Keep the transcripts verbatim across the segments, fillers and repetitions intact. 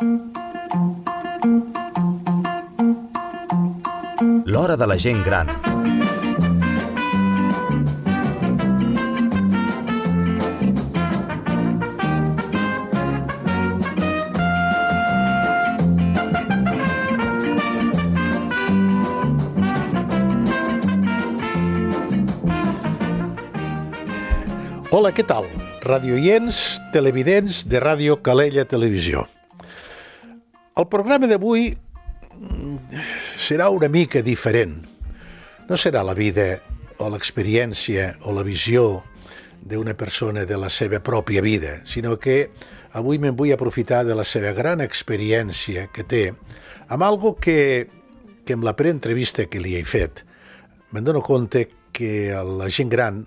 L'hora de la gent gran. Hola, què tal? Radioients, televidents de Ràdio Calella Televisió. El programa d'avui serà una mica diferent. No serà la vida o l'experiència o la visió d'una persona de la seva pròpia vida, sinó que avui me'n vull aprofitar de la seva gran experiència que té amb algo que, que amb la preentrevista que li he fet me'n dono compte que la gent gran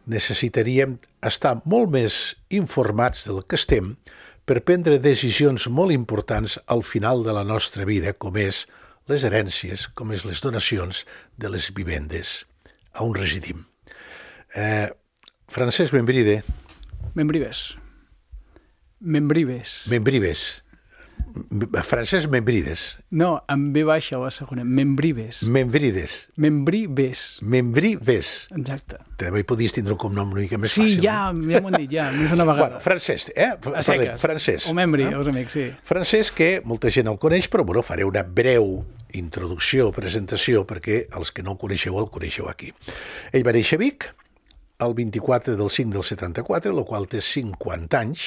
necessitaríem estar molt més informats del que estem per prendre decisions molt importants al final de la nostra vida, com és les herències, com és les donacions de les vivendes on residim. Eh, Francesc Membride. Membrives. Membrives. Membrives. Francesc Membrides. No, amb B baixa la segona. Membrives. Membrides. Membrives. Membrives. Exacte. També hi podies tindre un cognom una mica més sí, fàcil. Sí, ja, no? ja m'ho han dit, ja, més una vegada. Bueno, Francesc, eh? A seques. Francesc. O Membri, eh? els amics, sí. Francesc, que molta gent el coneix, però bueno, faré una breu introducció, presentació, perquè els que no el coneixeu, el coneixeu aquí. Ell va néixer a Vic el vint-i-quatre del cinc del setanta-quatre, el qual té cinquanta anys.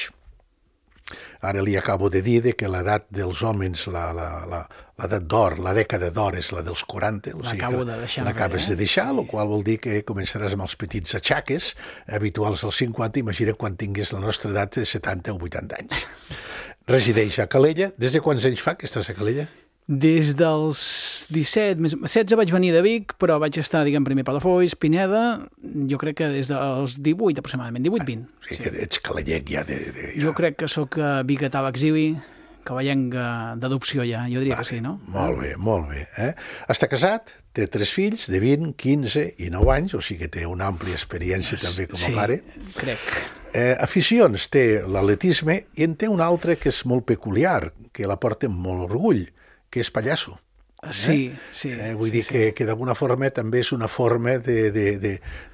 Ara li acabo de dir que l'edat dels homes, l'edat d'or, la dècada d'or és la dels quaranta, o sigui L'acabo de deixar. L'acabes de deixar, el qual vol dir que començaràs amb els petits atxaques habituals dels cinquanta, imagina quan tingués la nostra edat de setanta o vuitanta anys. Resideix a Calella. Des de quants anys fa que estàs a Calella? Des dels disset, més, setze vaig venir de Vic, però vaig estar, diguem, primer a Palafolls, Pineda, jo crec que des dels divuit aproximadament, divuit vint. Ah, o sigui sí. que ets calellenc ja. De, de, ja. Jo crec que sóc biguetà a l'exili, cavallenc d'adopció ja, jo diria vale, que sí, no? Molt bé, molt bé. Eh? Està casat, té tres fills de vint, quinze i nou anys, o sigui que té una àmplia experiència també com a sí, pare. Sí, crec. Eh, aficions, té l'atletisme i en té una altra que és molt peculiar, que la porta amb molt orgull, que és pallasso. Eh? Sí, sí. Eh, vull sí, dir sí. que, que d'alguna forma també és una forma de, de, de,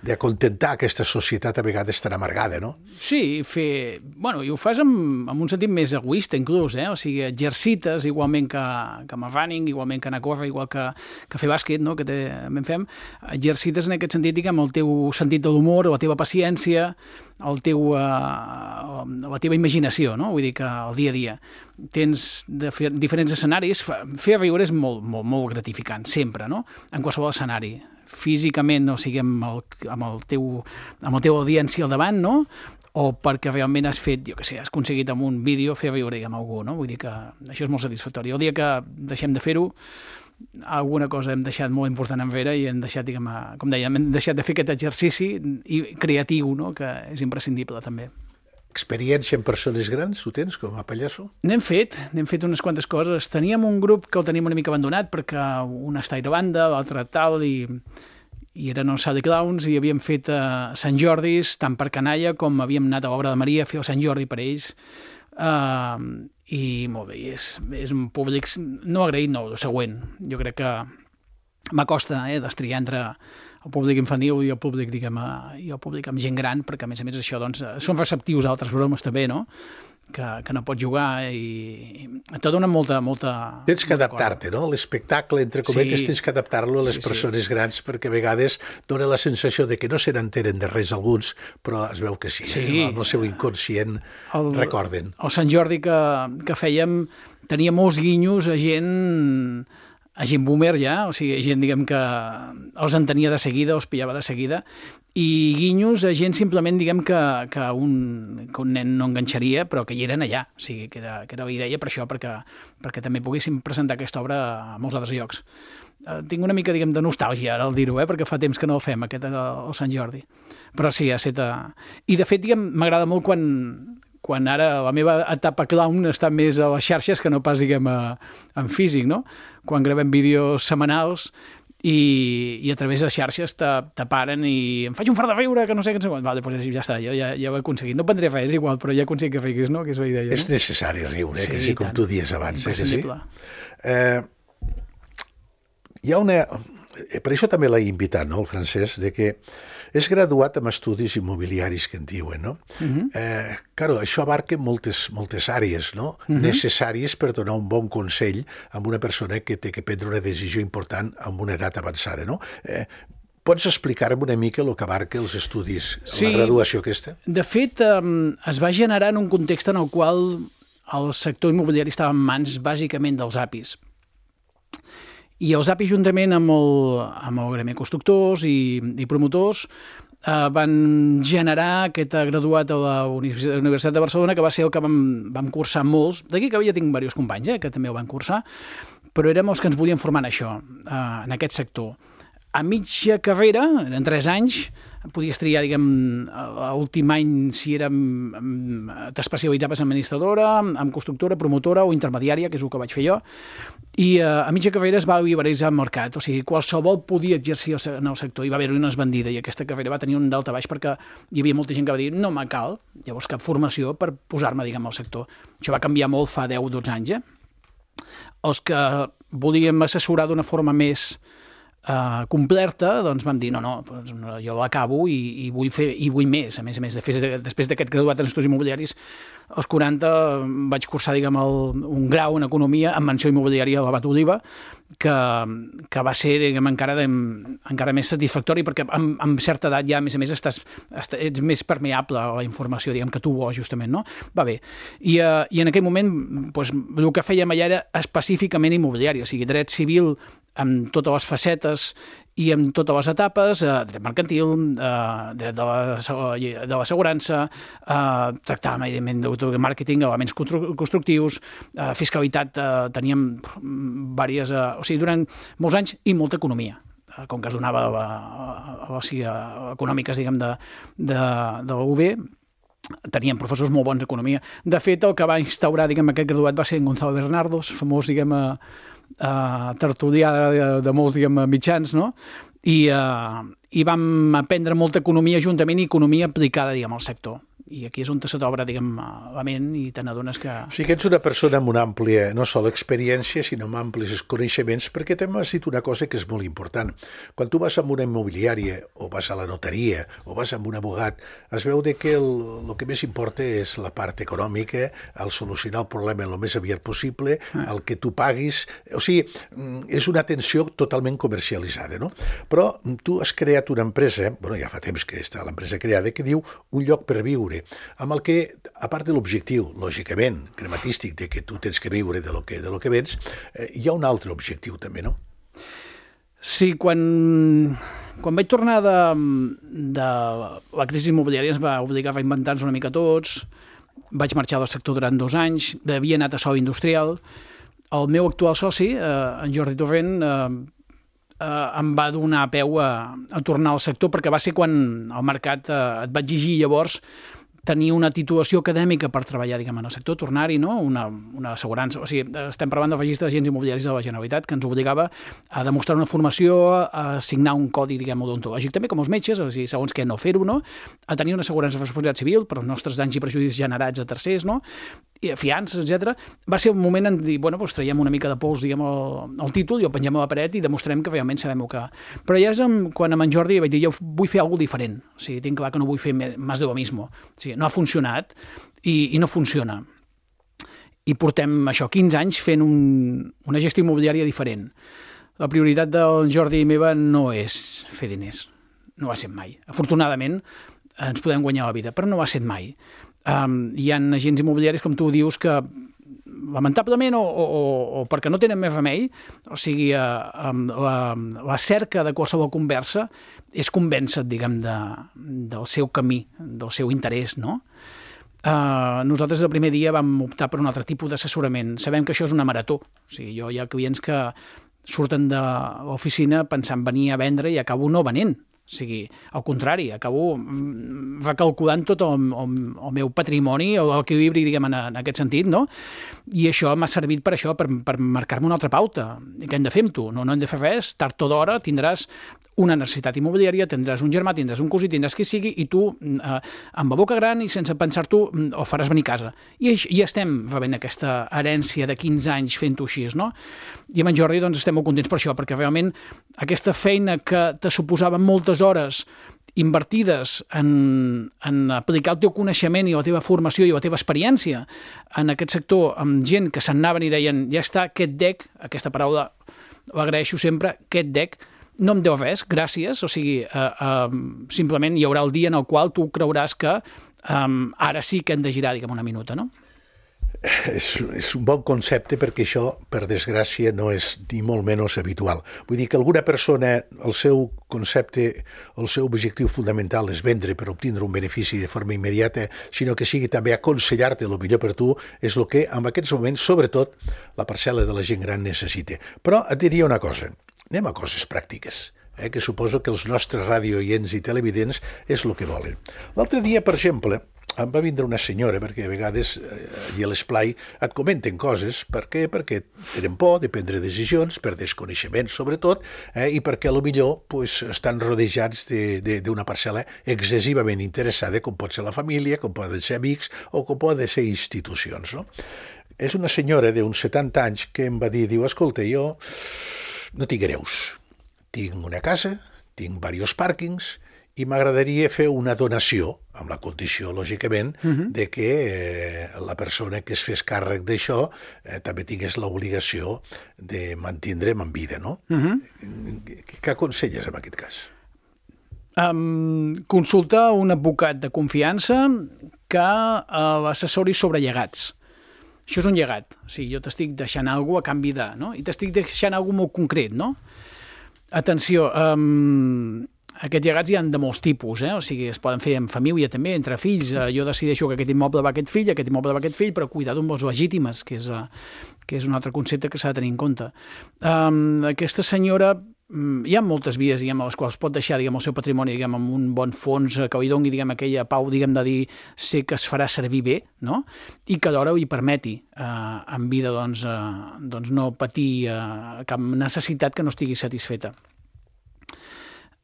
d'acontentar aquesta societat a vegades tan amargada, no? Sí, fer... Bueno, i ho fas amb, amb un sentit més egoista, inclús, eh? O sigui, exercites igualment que, que amb el running, igualment que anar a córrer, igual que, que fer bàsquet, no?, que també en fem, exercites en aquest sentit, diguem, el teu sentit de l'humor, la teva paciència, el teu, uh, la teva imaginació, no? Vull dir que el dia a dia tens de fer diferents escenaris. Fer riure és molt, molt, molt gratificant, sempre, no? En qualsevol escenari. Físicament, o sigui, amb el, amb el teu, amb la teva audiència al davant, no? O perquè realment has fet, jo què sé, has aconseguit amb un vídeo fer riure, diguem, algú, no? Vull dir que això és molt satisfactori. El dia que deixem de fer-ho, alguna cosa hem deixat molt important enrere i hem deixat, diguem, com dèiem, hem deixat de fer aquest exercici creatiu, no?, que és imprescindible també. Experiència en persones grans, ho tens com a pallasso? N'hem fet, n'hem fet unes quantes coses. Teníem un grup que el teníem una mica abandonat perquè un està a Irlanda, l'altre tal, i, i eren els Sally Clowns, i havíem fet uh, Sant Jordis, tant per canalla com havíem anat a l'obra de Maria a fer el Sant Jordi per ells. Uh, I molt bé, és, és un públic no agraït, no, el següent. Jo crec que m'acosta eh, destriar entre el públic infantil i el públic, diguem, i el públic amb gent gran, perquè a més a més això, doncs, són receptius a altres bromes també, no?, que, que no pots jugar i, i te dona molta, molta... Tens que adaptar-te, no? L'espectacle, entre cometes, sí. Tens que adaptar-lo a les sí, persones sí. grans, perquè a vegades dona la sensació de que no se n'entenen de res alguns, però es veu que sí, sí. Eh? El seu inconscient el, recorden. El Sant Jordi que, que fèiem tenia molts guinyos a gent... a gent boomer ja, o sigui, gent, diguem, que els entenia de seguida, els pillava de seguida, i guinyos a gent simplement, diguem, que, que, un, que un nen no enganxaria, però que hi eren allà, o sigui, que era, que era la idea per això, perquè, perquè també poguéssim presentar aquesta obra a molts altres llocs. Eh, tinc una mica, diguem, de nostàlgia ara al dir-ho, eh, perquè fa temps que no el fem, aquest, el, el Sant Jordi. Però sí, ha estat... I, de fet, diguem, m'agrada molt quan... quan ara la meva etapa clown està més a les xarxes que no pas, diguem, a, en físic, no? Quan gravem vídeos setmanals i, i a través de xarxes te, te paren i em faig un fart de riure, que no sé què... Vale, doncs ja està, jo ja, ja ho he aconseguit. No prendré res, igual, però ja he aconseguit que riguis, no? Que és la idea, no? És necessari riure, sí, que sí, com tant. tu dies abans. Eh, que sí? Eh, hi ha una... Per això també l'he invitat, no, el Francesc, de que és graduat en estudis immobiliaris, que en diuen, no? Uh -huh. eh, claro, això abarca moltes, moltes àrees, no? Uh -huh. Necessàries per donar un bon consell a una persona que té que prendre una decisió important amb una edat avançada, no? Eh, Pots explicar-me una mica el que abarca els estudis, sí, la graduació aquesta? De fet, eh, es va generar en un context en el qual el sector immobiliari estava en mans bàsicament dels A P Is. I els A P I, juntament amb el, amb el gremi de constructors i, i promotors, eh, van generar aquest graduat a la Universitat de Barcelona, que va ser el que vam, vam cursar molts. D'aquí que ja tinc diversos companys eh, que també ho van cursar, però érem els que ens volien formar en això, eh, en aquest sector. A mitja carrera, en tres anys, podies triar, diguem, l'últim any si era, t'especialitzaves en administradora, en constructora, promotora o intermediària, que és el que vaig fer jo, i uh, a mitja carrera es va liberalitzar el mercat, o sigui, qualsevol podia exercir en el sector, i va haver-hi una esbandida, i aquesta carrera va tenir un dalta baix perquè hi havia molta gent que va dir no me cal, llavors cap formació per posar-me, diguem, al sector. Això va canviar molt fa deu o dotze anys, eh? Els que volíem assessorar d'una forma més Uh, completa, doncs vam dir no, no, doncs, no jo l'acabo i, i, vull fer, i vull més, a més a més, després d'aquest graduat en estudis immobiliaris, als quaranta vaig cursar, diguem, el, un grau en economia amb menció immobiliària a l'Abat Oliva, que, que va ser, diguem, encara, de, encara més satisfactori, perquè amb, amb certa edat ja, a més a més, estàs, estàs, ets més permeable a la informació, diguem, que tu vols, justament, no? Va bé. I, uh, i en aquell moment, doncs, el que fèiem allà era específicament immobiliari, o sigui, dret civil amb totes les facetes i amb totes les etapes, eh, dret mercantil, eh, dret de la, de l'assegurança, eh, tractàvem, evidentment, de màrqueting, elements constructius, eh, fiscalitat, eh, teníem diverses, eh, o sigui, durant molts anys, i molta economia, eh, com que es donava a, a, a, a, a econòmiques, diguem, de, de, de la U B, teníem professors molt bons d'economia. De fet, el que va instaurar, diguem, aquest graduat va ser en Gonzalo Bernardos, famós, diguem, a Uh, tertulià de, de molts, diguem, mitjans, no? I, uh, i vam aprendre molta economia juntament i economia aplicada, diguem, al sector. I aquí és on se t'obre, diguem, la ment i te n'adones que... O sigui que ets una persona amb una àmplia, no sola experiència, sinó amb amplis coneixements, perquè també has dit una cosa que és molt important. Quan tu vas a una immobiliària, o vas a la notaria, o vas amb un abogat, es veu de que el, el que més importa és la part econòmica, el solucionar el problema el més aviat possible, el que tu paguis... O sigui, és una atenció totalment comercialitzada, no? Però tu has creat una empresa, bueno, ja fa temps que està l'empresa creada, que diu Un lloc per viure, amb el que, a part de l'objectiu, lògicament, crematístic, de que tu tens que viure de lo que, de lo que vens, eh, hi ha un altre objectiu també, no? Sí, quan, quan vaig tornar de, de la crisi immobiliària ens va obligar a reinventar-nos una mica tots, vaig marxar del sector durant dos anys, havia anat a sòl industrial, el meu actual soci, eh, en Jordi Torrent, eh, eh, em va donar peu a, a tornar al sector, perquè va ser quan el mercat eh, et va exigir llavors tenir una titulació acadèmica per treballar, diguem, en el sector, tornar-hi, no? Una, una assegurança. O sigui, estem parlant del registre d'agents immobiliaris de la Generalitat, que ens obligava a demostrar una formació, a signar un codi, diguem, odontològic, també com els metges, o sigui, segons què no fer-ho, no? A tenir una assegurança de responsabilitat civil per als nostres danys i perjudicis generats a tercers, no? I fiances, etcètera. Va ser un moment en dir, bueno, doncs traiem una mica de pols, diguem, el, el títol i el pengem a la paret i demostrem que realment sabem el que... Però ja és amb, quan amb en Jordi vaig dir, jo vull fer alguna cosa diferent. O sigui, tinc clar que no vull fer més de lo mismo. O sigui, no ha funcionat i, i no funciona. I portem això, quinze anys fent un, una gestió immobiliària diferent. La prioritat del Jordi i meva no és fer diners. No ho ha set mai. Afortunadament, ens podem guanyar la vida, però no ho ha set mai. Um, hi ha agents immobiliaris, com tu dius, que lamentablement o, o, o perquè no tenen més remei, o sigui, uh, um, la, la cerca de qualsevol conversa és convèncer, diguem, de, del seu camí, del seu interès, no? Uh, nosaltres el primer dia vam optar per un altre tipus d'assessorament. Sabem que això és una marató. O sigui, jo hi ha clients que surten de l'oficina pensant venir a vendre i acabo no venent. O sigui, al contrari, acabo recalculant tot el, el, el meu patrimoni, l'equilibri, diguem, en, en aquest sentit, no? I això m'ha servit per això, per, per marcar-me una altra pauta. I què hem de fer amb tu? No, no hem de fer res, tard o d'hora tindràs una necessitat immobiliària, tindràs un germà, tindràs un cosí, tindràs qui sigui, i tu, eh, amb la boca gran i sense pensar-t'ho, el faràs venir a casa. I ja estem rebent aquesta herència de quinze anys fent-ho així, no? I amb en Jordi doncs, estem molt contents per això, perquè realment aquesta feina que te suposava moltes hores invertides en, en aplicar el teu coneixement i la teva formació i la teva experiència en aquest sector amb gent que se'n anaven i deien ja està, aquest D E C, aquesta paraula l'agraeixo sempre, aquest D E C, no em deu res, gràcies, o sigui, eh, eh, simplement hi haurà el dia en el qual tu creuràs que eh, ara sí que hem de girar, diguem, una minuta, no? És, és un bon concepte perquè això, per desgràcia, no és ni molt menys habitual. Vull dir que alguna persona, el seu concepte, el seu objectiu fundamental és vendre per obtindre un benefici de forma immediata, sinó que sigui també aconsellar-te el millor per tu, és el que en aquests moments, sobretot, la parcel·la de la gent gran necessita. Però et diria una cosa, anem a coses pràctiques, eh, que suposo que els nostres radioients i televidents és el que volen. L'altre dia, per exemple, em va vindre una senyora, perquè a vegades eh, allà a l'esplai et comenten coses. Per què? Perquè tenen por de prendre decisions, per desconeixement sobretot, eh, i perquè potser pues, estan rodejats d'una parcel·la excessivament interessada, com pot ser la família, com poden ser amics o com poden ser institucions. No? És una senyora d'uns setanta anys que em va dir, diu, escolta, jo no tinc hereus, tinc una casa, tinc diversos pàrquings, i m'agradaria fer una donació, amb la condició, lògicament, uh-huh. de que eh, la persona que es fes càrrec d'això eh, també tingués l'obligació de mantindre'm en vida, no? Uh-huh. Què aconselles en aquest cas? Um, consulta un advocat de confiança que uh, l'assessori sobre llegats. Això és un llegat. O sigui, jo t'estic deixant alguna cosa a canvi de, no? I t'estic deixant alguna cosa molt concret, no? Atenció, um, aquests llegats hi ha de molts tipus, eh? O sigui, es poden fer en família també, entre fills. Jo decideixo que aquest immoble va a aquest fill, aquest immoble va a aquest fill, però cuidado amb les legítimes, que és, que és un altre concepte que s'ha de tenir en compte. Um, aquesta senyora, hi ha moltes vies, diguem, a les quals pot deixar, diguem, el seu patrimoni, diguem, amb un bon fons que li doni, diguem, aquella pau, diguem, de dir sé que es farà servir bé, no? I que alhora li permeti eh, en vida, doncs, eh, doncs no patir eh, cap necessitat que no estigui satisfeta.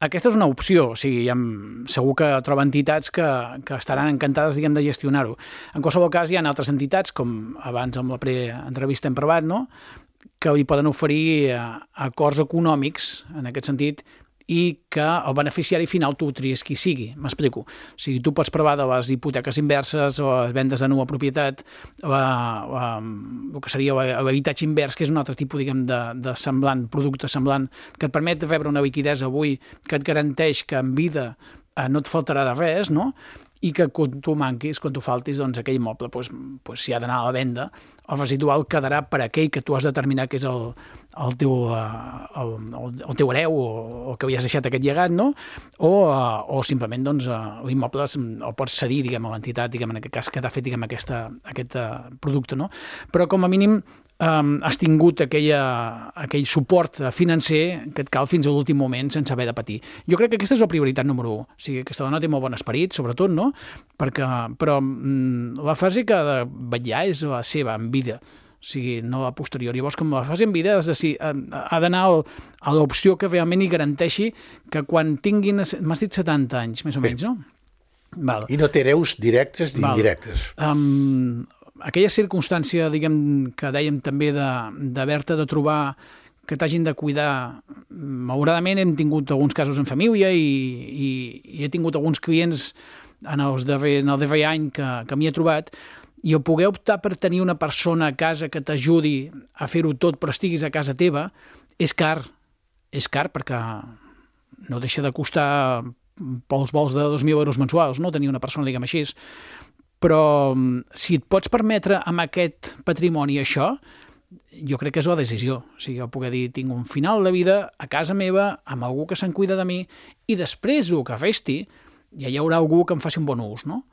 Aquesta és una opció, o sigui, ha, segur que troba entitats que, que estaran encantades, diguem, de gestionar-ho. En qualsevol cas, hi ha altres entitats, com abans amb la pre-entrevista hem parlat, no?, que li poden oferir acords econòmics, en aquest sentit, i que el beneficiari final tu tries qui sigui. M'explico. O sigui, tu pots provar de les hipoteques inverses o les vendes de nova propietat, la, la, el que seria l'habitatge invers, que és un altre tipus, diguem, de, de semblant, producte semblant, que et permet rebre una liquiditat avui, que et garanteix que en vida eh, no et faltarà de res, no?, i que quan tu manquis, quan tu faltis, doncs aquell immoble pues, pues, si ha d'anar a la venda, el residual quedarà per aquell que tu has determinat que és el, el, teu, el, el, el teu hereu o, o que havies deixat aquest llegat, no? O, o simplement doncs, l'immoble el pots cedir, diguem, a l'entitat, diguem, en aquest cas que t'ha fet, diguem, aquesta, aquest producte, no? Però com a mínim Um, has tingut aquella, aquell suport financer que et cal fins a l'últim moment sense haver de patir. Jo crec que aquesta és la prioritat número un. O sigui, aquesta dona té molt bon esperit, sobretot, no? Perquè, però mm, la fase que ha de vetllar és la seva en vida, o sigui, no la posterior. Llavors, com la fase en vida és de, ha d'anar a l'opció que realment hi garanteixi que quan tinguin, m'has dit setanta anys, més o menys, no? Val. I no té hereus directes ni Val. indirectes. Um, aquella circumstància, diguem, que dèiem també d'haver-te de, de trobar que t'hagin de cuidar, malauradament hem tingut alguns casos en família i, i, i he tingut alguns clients en, els darrer, en el darrer any que, que m'hi he trobat, i el poder optar per tenir una persona a casa que t'ajudi a fer-ho tot però estiguis a casa teva és car, és car perquè no deixa de costar pels vols de dos mil euros mensuals, no? Tenir una persona, diguem així. Però si et pots permetre amb aquest patrimoni això, jo crec que és la decisió. O sigui, el poder dir, tinc un final de vida a casa meva, amb algú que se'n cuida de mi, i després el que resti, ja hi haurà algú que em faci un bon ús, no?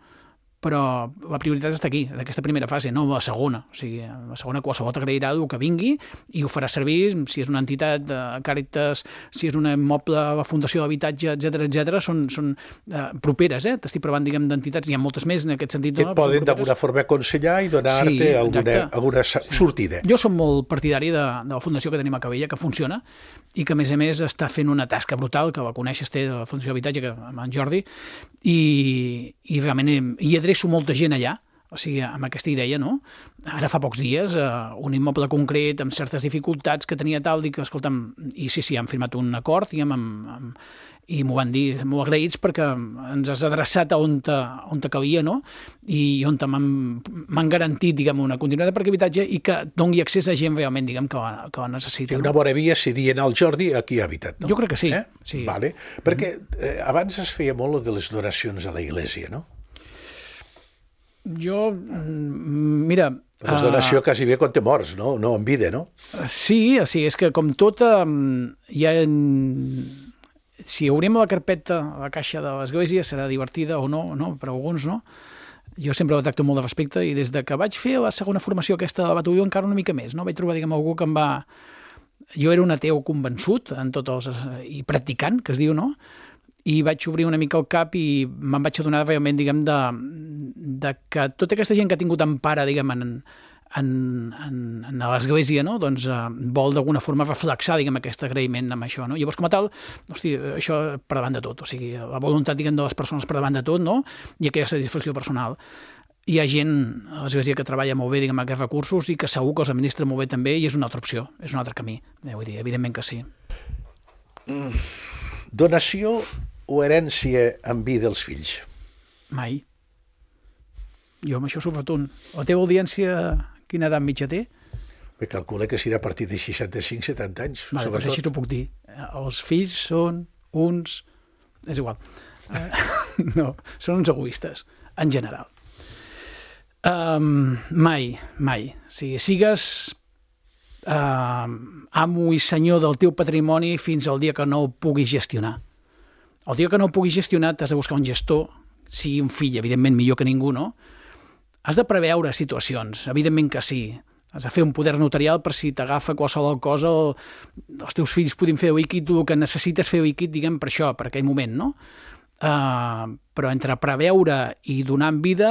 però la prioritat està aquí, en aquesta primera fase, no la segona. O sigui, la segona qualsevol t'agrairà el que vingui i ho farà servir, si és una entitat de Càritas, si és un immoble, la Fundació d'Habitatge, etcètera, etcètera, són, són eh, properes, eh? T'estic parlant, diguem, d'entitats, hi ha moltes més en aquest sentit. Que no? et poden d'alguna forma aconsellar i donar-te sí, alguna, alguna sortida. Jo som molt partidari de, de la fundació que tenim a Cabella, que funciona, i que, a més a més, està fent una tasca brutal, que la coneixes, té la Fundació d'Habitatge, que, amb en Jordi, i, i realment hi adreço molta gent allà, o sigui, amb aquesta idea, no? Ara fa pocs dies, eh, un immoble concret amb certes dificultats que tenia tal, dic, escolta'm, i sí, sí, han firmat un acord, diguem, amb, amb, i m'ho van dir molt agraïts perquè ens has adreçat a on te, on te calia, no? I on m'han garantit, diguem, una continuïtat per habitatge i que doni accés a gent realment, diguem, que la, que la necessita. Una bona via seria anar al Jordi aquí a Habitat, no? Jo crec que sí. Eh? sí. Vale. Perquè eh, abans es feia molt de les donacions a la Iglésia, no? Jo, mira... La donació uh, quasi bé quan te mors, no? No en vida, no? Sí, sí, és que com tot hi ha... Si obrim la carpeta, la caixa de l'església, serà divertida o no, no, per alguns no. Jo sempre la tracto molt de respecte i des de que vaig fer la segona formació aquesta de la Batulló encara una mica més, no? Vaig trobar, diguem, algú que em va... Jo era un ateu convençut en tots els... i practicant, que es diu, no? I vaig obrir una mica el cap i me'n vaig adonar realment, diguem, de, de que tota aquesta gent que ha tingut empara, diguem, en, en, en, en l'església, no? Doncs eh, vol d'alguna forma reflexar, diguem, aquest agraïment amb això, no? Llavors, com a tal, hosti, això per davant de tot, o sigui, la voluntat, diguem, de les persones per davant de tot, no? I aquesta satisfacció personal. Hi ha gent a l'església que treballa molt bé, diguem, aquests recursos i que segur que els administra molt bé també i és una altra opció, és un altre camí. Eh, vull dir, evidentment que sí. Mm. Donació o herència en vida dels fills? Mai. Jo amb això sóc rotund. La teva audiència, quina edat mitja té? Me calcula que serà a partir de seixanta-cinc setanta anys. Vale, doncs així t'ho puc dir. Els fills són uns... És igual. No, són uns egoistes, en general. Um, mai, mai. O sigui, sigues uh, amo i senyor del teu patrimoni fins al dia que no el puguis gestionar. El dia que no ho puguis gestionar t'has de buscar un gestor, sigui un fill, evidentment millor que ningú, no? Has de preveure situacions, evidentment que sí. Has de fer un poder notarial per si t'agafa qualsevol cosa o els teus fills puguin fer líquid, tu el que necessites fer líquid, diguem, per això, per aquell moment, no? Uh, però entre preveure i donar en vida,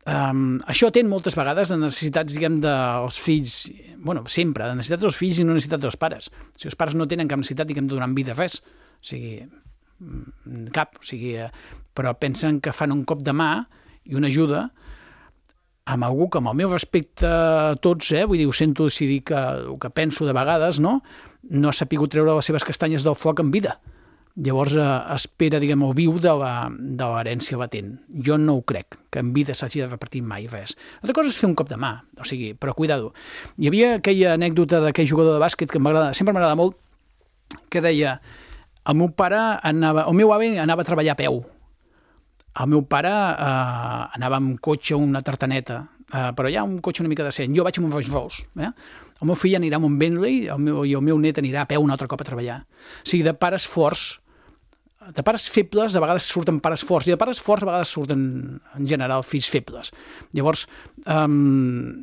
um, això atén moltes vegades a necessitats, diguem, dels fills, bueno, sempre, de necessitats dels fills i no necessitats dels pares. Si els pares no tenen cap necessitat, diguem, de donar en vida res, o sigui... cap, o sigui, però pensen que fan un cop de mà i una ajuda amb algú que amb el meu respecte a tots, eh, vull dir, ho sento si dic que, el que penso de vegades, no? No ha sapigut treure les seves castanyes del foc en vida. Llavors eh, espera, diguem, o viu de l'herència latent. Jo no ho crec, que en vida s'hagi de repartir mai res. L'altra cosa és fer un cop de mà, o sigui, però cuidado. Hi havia aquella anècdota d'aquell jugador de bàsquet que m'agrada, sempre m'agrada molt, que deia... El meu pare anava... El meu avi anava a treballar a peu. El meu pare eh, anava amb cotxe, una tartaneta, eh, però ja un cotxe una mica decent. Jo vaig amb un Rolls Royce. Eh? El meu fill anirà amb un Bentley el meu, i el meu net anirà a peu un altre cop a treballar. O sigui, de pares forts, de pares febles, a vegades surten pares forts, i de pares forts a vegades surten, en general, fills febles. Llavors... Eh,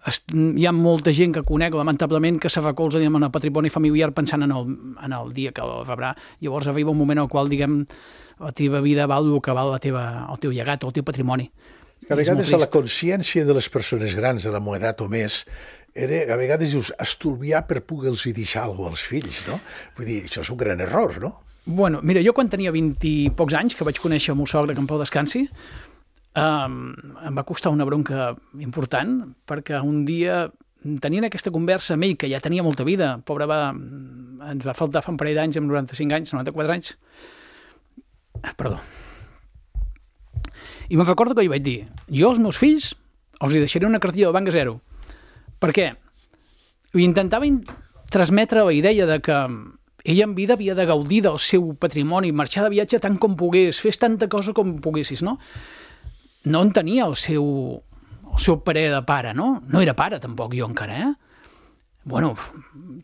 hi ha molta gent que conec, lamentablement, que se recolza, diguem, en el patrimoni familiar pensant en el, en el dia que el rebrà. Llavors arriba un moment en el qual, diguem, la teva vida val el que val la teva, el teu llegat o el teu patrimoni. A vegades a la consciència de les persones grans de la meva edat o més era, a vegades dius, estolviar per poder-los deixar alguna cosa als fills, no? Vull dir, això és un gran error, no? Bueno, mira, jo quan tenia vint i pocs anys, que vaig conèixer el meu sogre, que en pau descansi, Um, em va costar una bronca important perquè un dia tenint aquesta conversa amb ell, que ja tenia molta vida, pobre va, ens va faltar fa un parell d'anys, amb noranta-cinc anys, noranta-quatre anys, perdó. I me'n recordo que jo vaig dir, jo als meus fills els hi deixaré una cartilla del banc a zero. Per què? I intentava transmetre la idea de que ell en vida havia de gaudir del seu patrimoni, marxar de viatge tant com pogués, fes tanta cosa com poguessis, no? No en tenia el seu, el seu parer de pare, no? No era pare, tampoc, jo encara, eh? Bueno,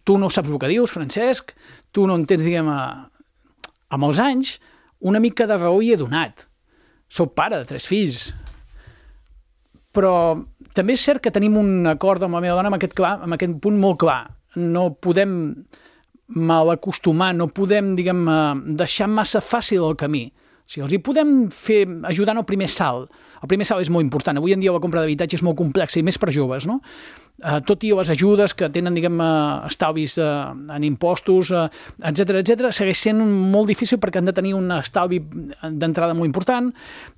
tu no saps el que dius, Francesc, tu no entens, diguem, a, amb els anys, una mica de raó hi he donat. O soc pare de tres fills, però també és cert que tenim un acord amb la meva dona amb aquest, clar, amb aquest punt molt clar. No podem mal acostumar, no podem, diguem, deixar massa fàcil el camí. O sigui, els hi podem fer, ajudar en el primer salt. El primer salt és molt important. Avui en dia la compra d'habitatge és molt complexa i més per joves, no? Uh, tot i les ajudes que tenen, diguem, uh, estalvis uh, en impostos, uh, etcètera, etcètera, segueix sent molt difícil perquè han de tenir un estalvi d'entrada molt important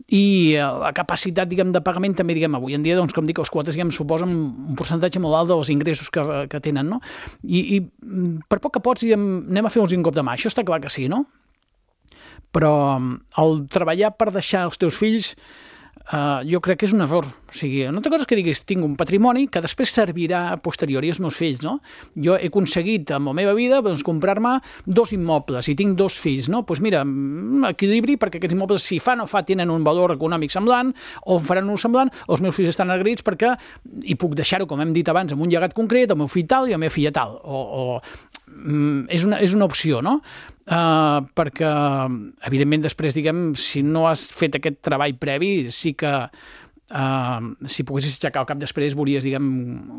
i uh, la capacitat, diguem, de pagament també, diguem, avui en dia, doncs, com dic, els quotes, diguem, suposen un percentatge molt alt dels ingressos que, que tenen, no? I, i per poc que pots, diguem, anem a fer-los un cop de mà. Això està clar que sí, no? Però el treballar per deixar els teus fills Uh, jo crec que és un error. O sigui, una altra cosa és que diguis, tinc un patrimoni que després servirà a posteriori als meus fills, no? Jo he aconseguit en la meva vida doncs, comprar-me dos immobles i tinc dos fills, no? Doncs mira, equilibri, perquè aquests immobles, si fa o no fa, tenen un valor econòmic semblant o faran un semblant, els meus fills estan agraïts perquè hi puc deixar-ho, com hem dit abans, amb un llegat concret, el meu fill tal i la meva filla tal. O, o mm, és, una, és una opció, no? Uh, perquè, evidentment, després, diguem, si no has fet aquest treball previ, sí que uh, si poguessis aixecar el cap després, veuries, diguem,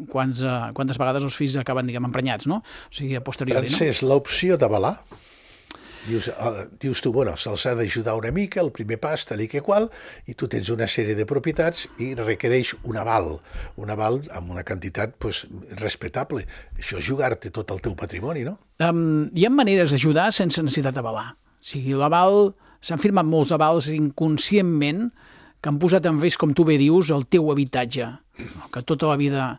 quants, uh, quantes vegades els fills acaben, diguem, emprenyats, no? O sigui, a posteriori, Francesc, no? L'opció d'avalar, dius, uh, dius tu, bueno, se'ls ha d'ajudar una mica, el primer pas, tal i que qual, i tu tens una sèrie de propietats i requereix un aval, un aval amb una quantitat pues, respectable. Això és jugar-te tot el teu patrimoni, no? Um, hi ha maneres d'ajudar sense necessitat d'avalar. O sigui, l'aval, s'han firmat molts avals inconscientment que han posat en risc, com tu bé dius, el teu habitatge, que tota la vida...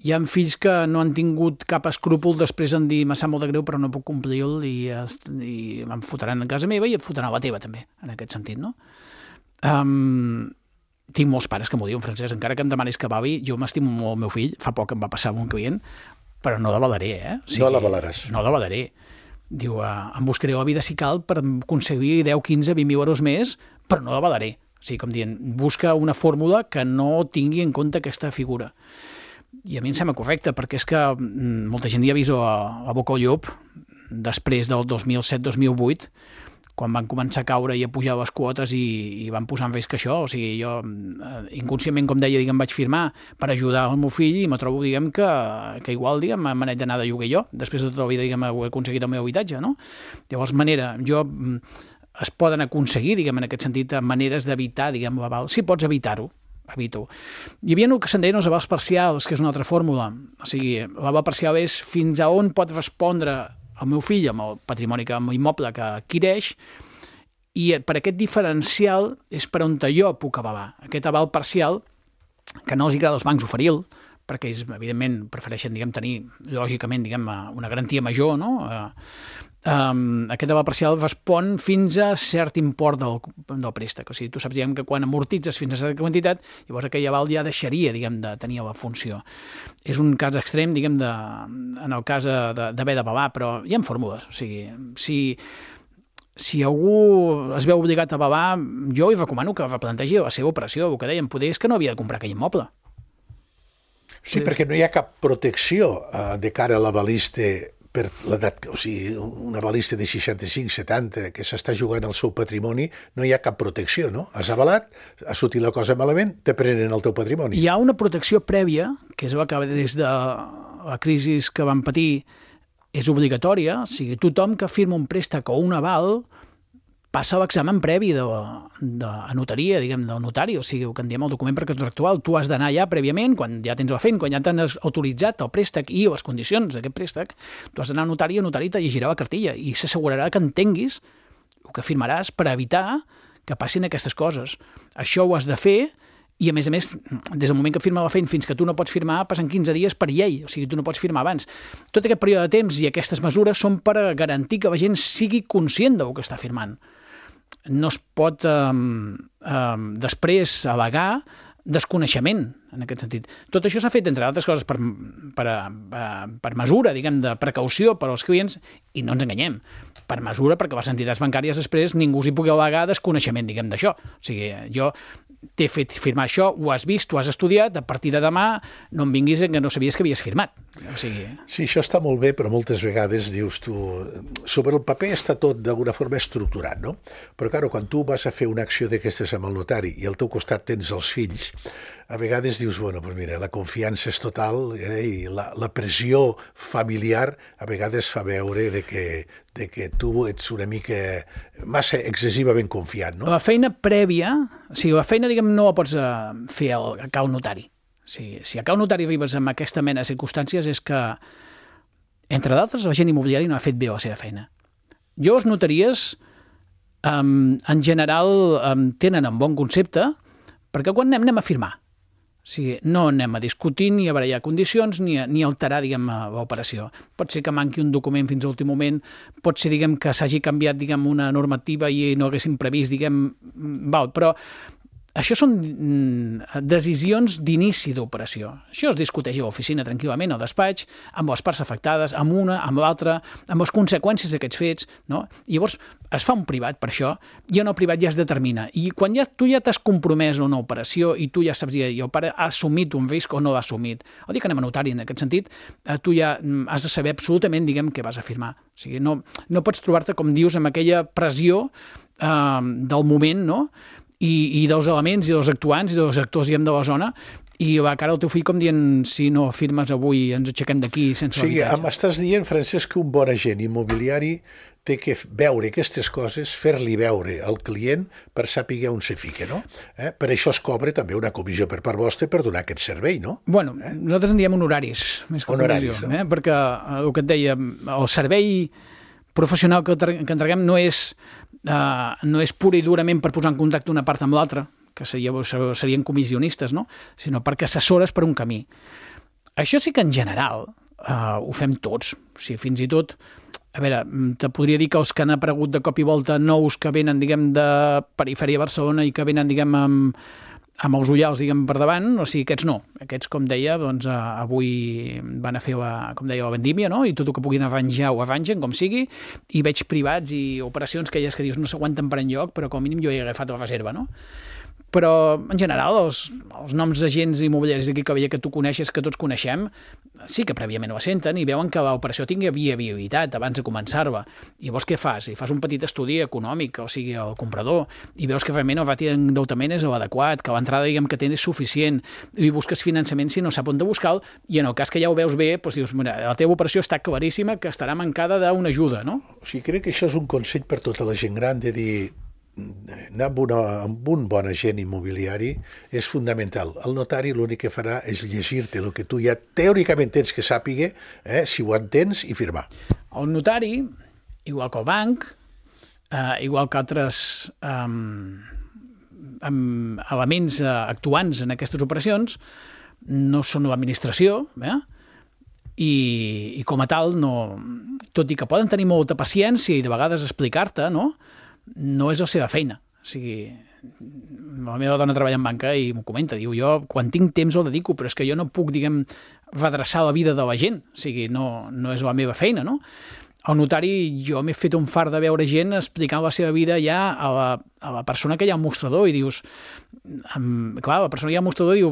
Hi ha fills que no han tingut cap escrúpol després en dir, me sap molt de greu però no puc complir-lo i, i em fotran a casa meva i et fotran a la teva també, en aquest sentit, no? Um, tinc molts pares que m'ho diuen, Francesc, encara que em demanis que avalui, jo m'estimo molt el meu fill, fa poc em va passar amb un client, però no l'avalaré, eh? O sigui, no l'avalaràs. No l'avalaré. Diu, uh, em buscaré la vida si cal per aconseguir deu, quinze, vint mil euros més, però no l'avalaré. O sigui, com dient, busca una fórmula que no tingui en compte aquesta figura. I a mi em sembla correcte, perquè és que molta gent ja ha vist a, a boca al llop després del dos mil set dos mil vuit, quan van començar a caure i a pujar les quotes i, i van posar en risc això. O sigui, jo inconscientment, com deia, diguem, vaig firmar per ajudar el meu fill i me trobo, diguem, que, que igual, diguem, me n'haig d'anar de lloguer jo, després de tota la vida, diguem, ho he aconseguit el meu habitatge, no? Llavors, manera, jo... es poden aconseguir, diguem, en aquest sentit, maneres d'evitar, diguem, l'aval. Si pots evitar-ho, evito. Hi havia el que se'n deien els avals parcials, que és una altra fórmula. O sigui, l'aval parcial és fins a on pot respondre el meu fill amb el patrimoni, amb l'immoble que adquireix, i per aquest diferencial és per on jo puc avalar. Aquest aval parcial, que no els agrada als bancs oferir-lo, perquè ells, evidentment, prefereixen, diguem, tenir, lògicament, diguem, una garantia major, no? Um, aquest aval parcial respon fins a cert import del, del préstec. O sigui, tu saps, diguem, que quan amortitzes fins a certa quantitat, llavors aquell aval ja deixaria, diguem, de tenir la funció. És un cas extrem, diguem, de, en el cas d'haver d'avalar, però hi ha fórmules. O sigui, si, si algú es veu obligat a avalar, jo li recomano que replantegi la seva operació. El que dèiem, poder és que no havia de comprar aquell immoble. Sí, perquè no hi ha cap protecció uh, de cara a l'avalista per l'edat, o sigui, un avalista de seixanta-cinc setanta que s'està jugant el seu patrimoni, no hi ha cap protecció, no? Has avalat, ha sortit la cosa malament, te prenen el teu patrimoni. Hi ha una protecció prèvia, que és la que des de la crisi que van patir és obligatòria, o sigui, tothom que firma un préstec o un aval passa l'examen previ de, de, a notaria, diguem, del notari, o sigui, el que en diem el document precontractual. Tu has d'anar ja prèviament, quan ja tens la feina, quan ja t'han autoritzat el préstec i les condicions d'aquest préstec, tu has d'anar al notari i el notari te llegirà la cartilla i s'assegurarà que entenguis el que firmaràs per evitar que passin aquestes coses. Això ho has de fer i, a més a més, des del moment que firma la feina fins que tu no pots firmar, passen quinze dies per llei, o sigui, tu no pots firmar abans. Tot aquest període de temps i aquestes mesures són per garantir que la gent sigui conscient del que està firmant. No es pot eh, eh, després al·legar desconeixement. en aquest sentit. Tot això s'ha fet, entre altres coses, per, per, per mesura, diguem, de precaució per als clients, i no ens enganyem, per mesura perquè les entitats bancàries després ningú s'hi pugui al·legar desconeixement, diguem, d'això. O sigui, jo t'he fet firmar això, ho has vist, ho has estudiat, a partir de demà no em vinguis que no sabies que havies firmat. O sigui... Sí, això està molt bé, però moltes vegades dius tu... Sobre el paper està tot d'alguna forma estructurat, no? Però, clar, quan tu vas a fer una acció d'aquestes amb el notari i al teu costat tens els fills, a vegades dius, bueno, doncs mira, la confiança és total eh, i la, la pressió familiar a vegades fa veure de que, de que tu ets una mica massa excessivament confiant, no? La feina prèvia, o sigui, la feina, diguem, no la pots uh, fer al, a cau notari. O sigui, si a cau notari arribes amb aquesta mena de circumstàncies és que, entre d'altres, la gent immobiliària no ha fet bé la seva feina. Jo, les notaries, um, en general, um, tenen un bon concepte, perquè quan anem, anem a firmar. O sigui, no anem a discutir ni a barallar condicions ni a, ni a alterar, diguem, l'operació. Pot ser que manqui un document fins a l'últim moment, pot ser, diguem, que s'hagi canviat, diguem, una normativa i no haguéssim previst, diguem, val, però això són decisions d'inici d'operació. Això es discuteix a l'oficina tranquil·lament, al despatx, amb les parts afectades, amb una, amb l'altra, amb les conseqüències d'aquests fets, no? I llavors es fa un privat per això, i en el privat ja es determina. I quan ja, tu ja t'has compromès a una operació i tu ja saps, i el pare ha assumit un risc o no l'ha assumit, el dia que anem a notari en aquest sentit, tu ja has de saber absolutament, diguem, què vas a firmar. O sigui, no, no pots trobar-te, com dius, amb aquella pressió eh, del moment, no?, I, i dels elements i dels actuants i dels actors, diguem, de la zona, i va cara al teu fill com dient, si no firmes avui ens aixequem d'aquí sense sí, l'habitatge. M'estàs dient, Francesc, que un bon agent immobiliari té que veure aquestes coses, fer-li veure al client per saber on se fica, no? Eh? Per això es cobra també una comissió per part vostra per donar aquest servei, no? Bueno, eh? nosaltres en diem honoraris, més que honoraris, comissió, no? eh? Perquè el que et deia, el servei professional que, que entreguem no és, uh, no és pura i durament per posar en contacte una part amb l'altra, que seria, serien comissionistes, no? Sinó perquè assessores per un camí. Això sí que en general uh, ho fem tots. O sigui, fins i tot, a veure, te podria dir que els que han aparegut de cop i volta nous que venen, diguem, de perifèria de Barcelona i que venen, diguem, amb, amb els ullals, diguem, per davant, o sigui, aquests no. Aquests, com deia, doncs, avui van a fer, la, com deia, la vendímia, no? I tot el que puguin arranjar ho arrangen, com sigui, i veig privats i operacions que elles que dius no s'aguanten per enlloc, però com a mínim jo he agafat la reserva, no? Però, en general, els, els noms d'agents immobiliaris d'aquí que veia que tu coneixes, que tots coneixem, sí que prèviament ho senten i veuen que l'operació tingui viabilitat abans de començar-la. I llavors què fas? I fas un petit estudi econòmic, o sigui, el comprador, i veus que realment el rati d'endeutament és l'adequat, que l'entrada, diguem, que tens és suficient, i busques finançament si no sap on de buscar-lo, i en el cas que ja ho veus bé, doncs dius, mira, la teva operació està claríssima que estarà mancada d'una ajuda, no? O sigui, crec que això és un consell per tota la gent gran de dir anar amb, una, amb un bon agent immobiliari és fundamental. El notari l'únic que farà és llegir-te el que tu ja teòricament tens que sàpiga, eh, si ho entens, i firmar. El notari, igual que el banc, eh, igual que altres eh, elements eh, actuants en aquestes operacions, no són l'administració, eh? I, i com a tal, no, tot i que poden tenir molta paciència i de vegades explicar-te, no? No és la seva feina. O sigui, la meva dona treballa en banca i m'ho comenta, diu, jo quan tinc temps el dedico, però és que jo no puc, diguem, redreçar la vida de la gent, o sigui, no, no és la meva feina, no? El notari, jo m'he fet un fart de veure gent explicant la seva vida ja a la, a la persona que hi ha al mostrador i dius, um, clar, la persona que hi ha al mostrador diu,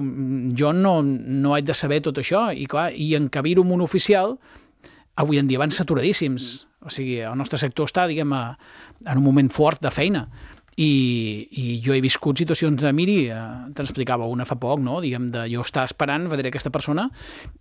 jo no, no haig de saber tot això, i clar, i encabir-ho amb un oficial, avui en dia van saturadíssims. O sigui, el nostre sector està, diguem, a, en un moment fort de feina. I, i jo he viscut situacions de, miri, eh, te'n explicava una fa poc, no? Diguem, de jo estar esperant, vedré aquesta persona,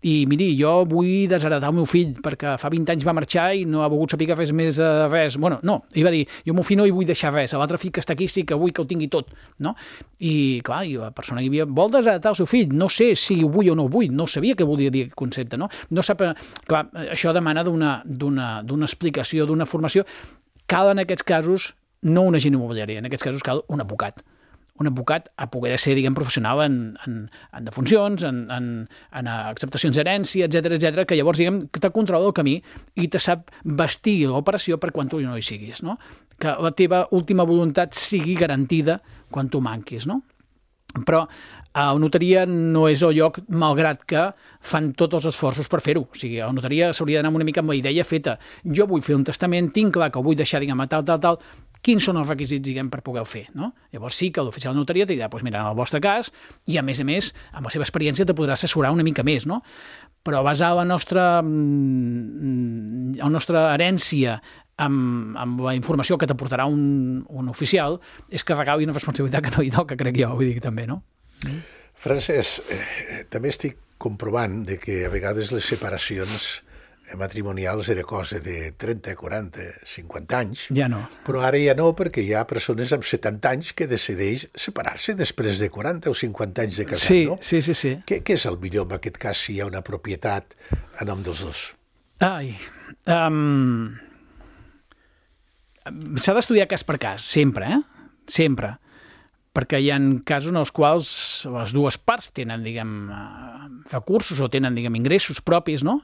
i miri, jo vull desheretar el meu fill, perquè fa vint anys va marxar i no ha volgut saber que fes més eh, res. Bueno, no, ell va dir, jo el meu fill no hi vull deixar res, l'altre fill que està aquí sí que vull que ho tingui tot, no? I, clar, i la persona que hi havia, vol desheretar el seu fill, no sé si ho vull o no ho vull, no sabia què volia dir aquest concepte, no? No sap, clar, això demana d'una, d'una, d'una explicació, d'una formació. Cal en aquests casos no un agent immobiliari, en aquests casos cal un advocat. Un advocat a poder ser, diguem, professional en, en, en defuncions, en, en, en acceptacions d'herència, etcètera, etcètera, que llavors, diguem, te controla el camí i te sap vestir l'operació per quan tu no hi siguis, no? Que la teva última voluntat sigui garantida quan tu manquis, no? Però a la notaria no és el lloc, malgrat que fan tots els esforços per fer-ho. O sigui, a la notaria s'hauria d'anar una mica amb la idea feta. Jo vull fer un testament, tinc clar que ho vull deixar, diguem, tal, tal, tal, quins són els requisits, diguem, per poder-ho fer, no? Llavors sí que l'oficial de notaria te dirà, doncs mira, en el vostre cas, i a més a més, amb la seva experiència te podrà assessorar una mica més, no? Però basar la nostra, la nostra herència amb, amb la informació que t'aportarà un, un oficial és carregar una responsabilitat que no hi toca, crec jo, vull dir també, no? Mm. Francesc, eh, també estic comprovant de que a vegades les separacions matrimonials era cosa de trenta, quaranta, cinquanta anys. Ja no. Però ara ja no, perquè hi ha persones amb setanta anys que decideix separar-se després de quaranta o cinquanta anys de casat, sí, no? Sí, sí, sí. Què, què és el millor en aquest cas si hi ha una propietat a nom dels dos? Ai... Um... S'ha d'estudiar cas per cas, sempre, eh? Sempre. Perquè hi ha casos en els quals les dues parts tenen, diguem, recursos o tenen, diguem, ingressos propis, no?,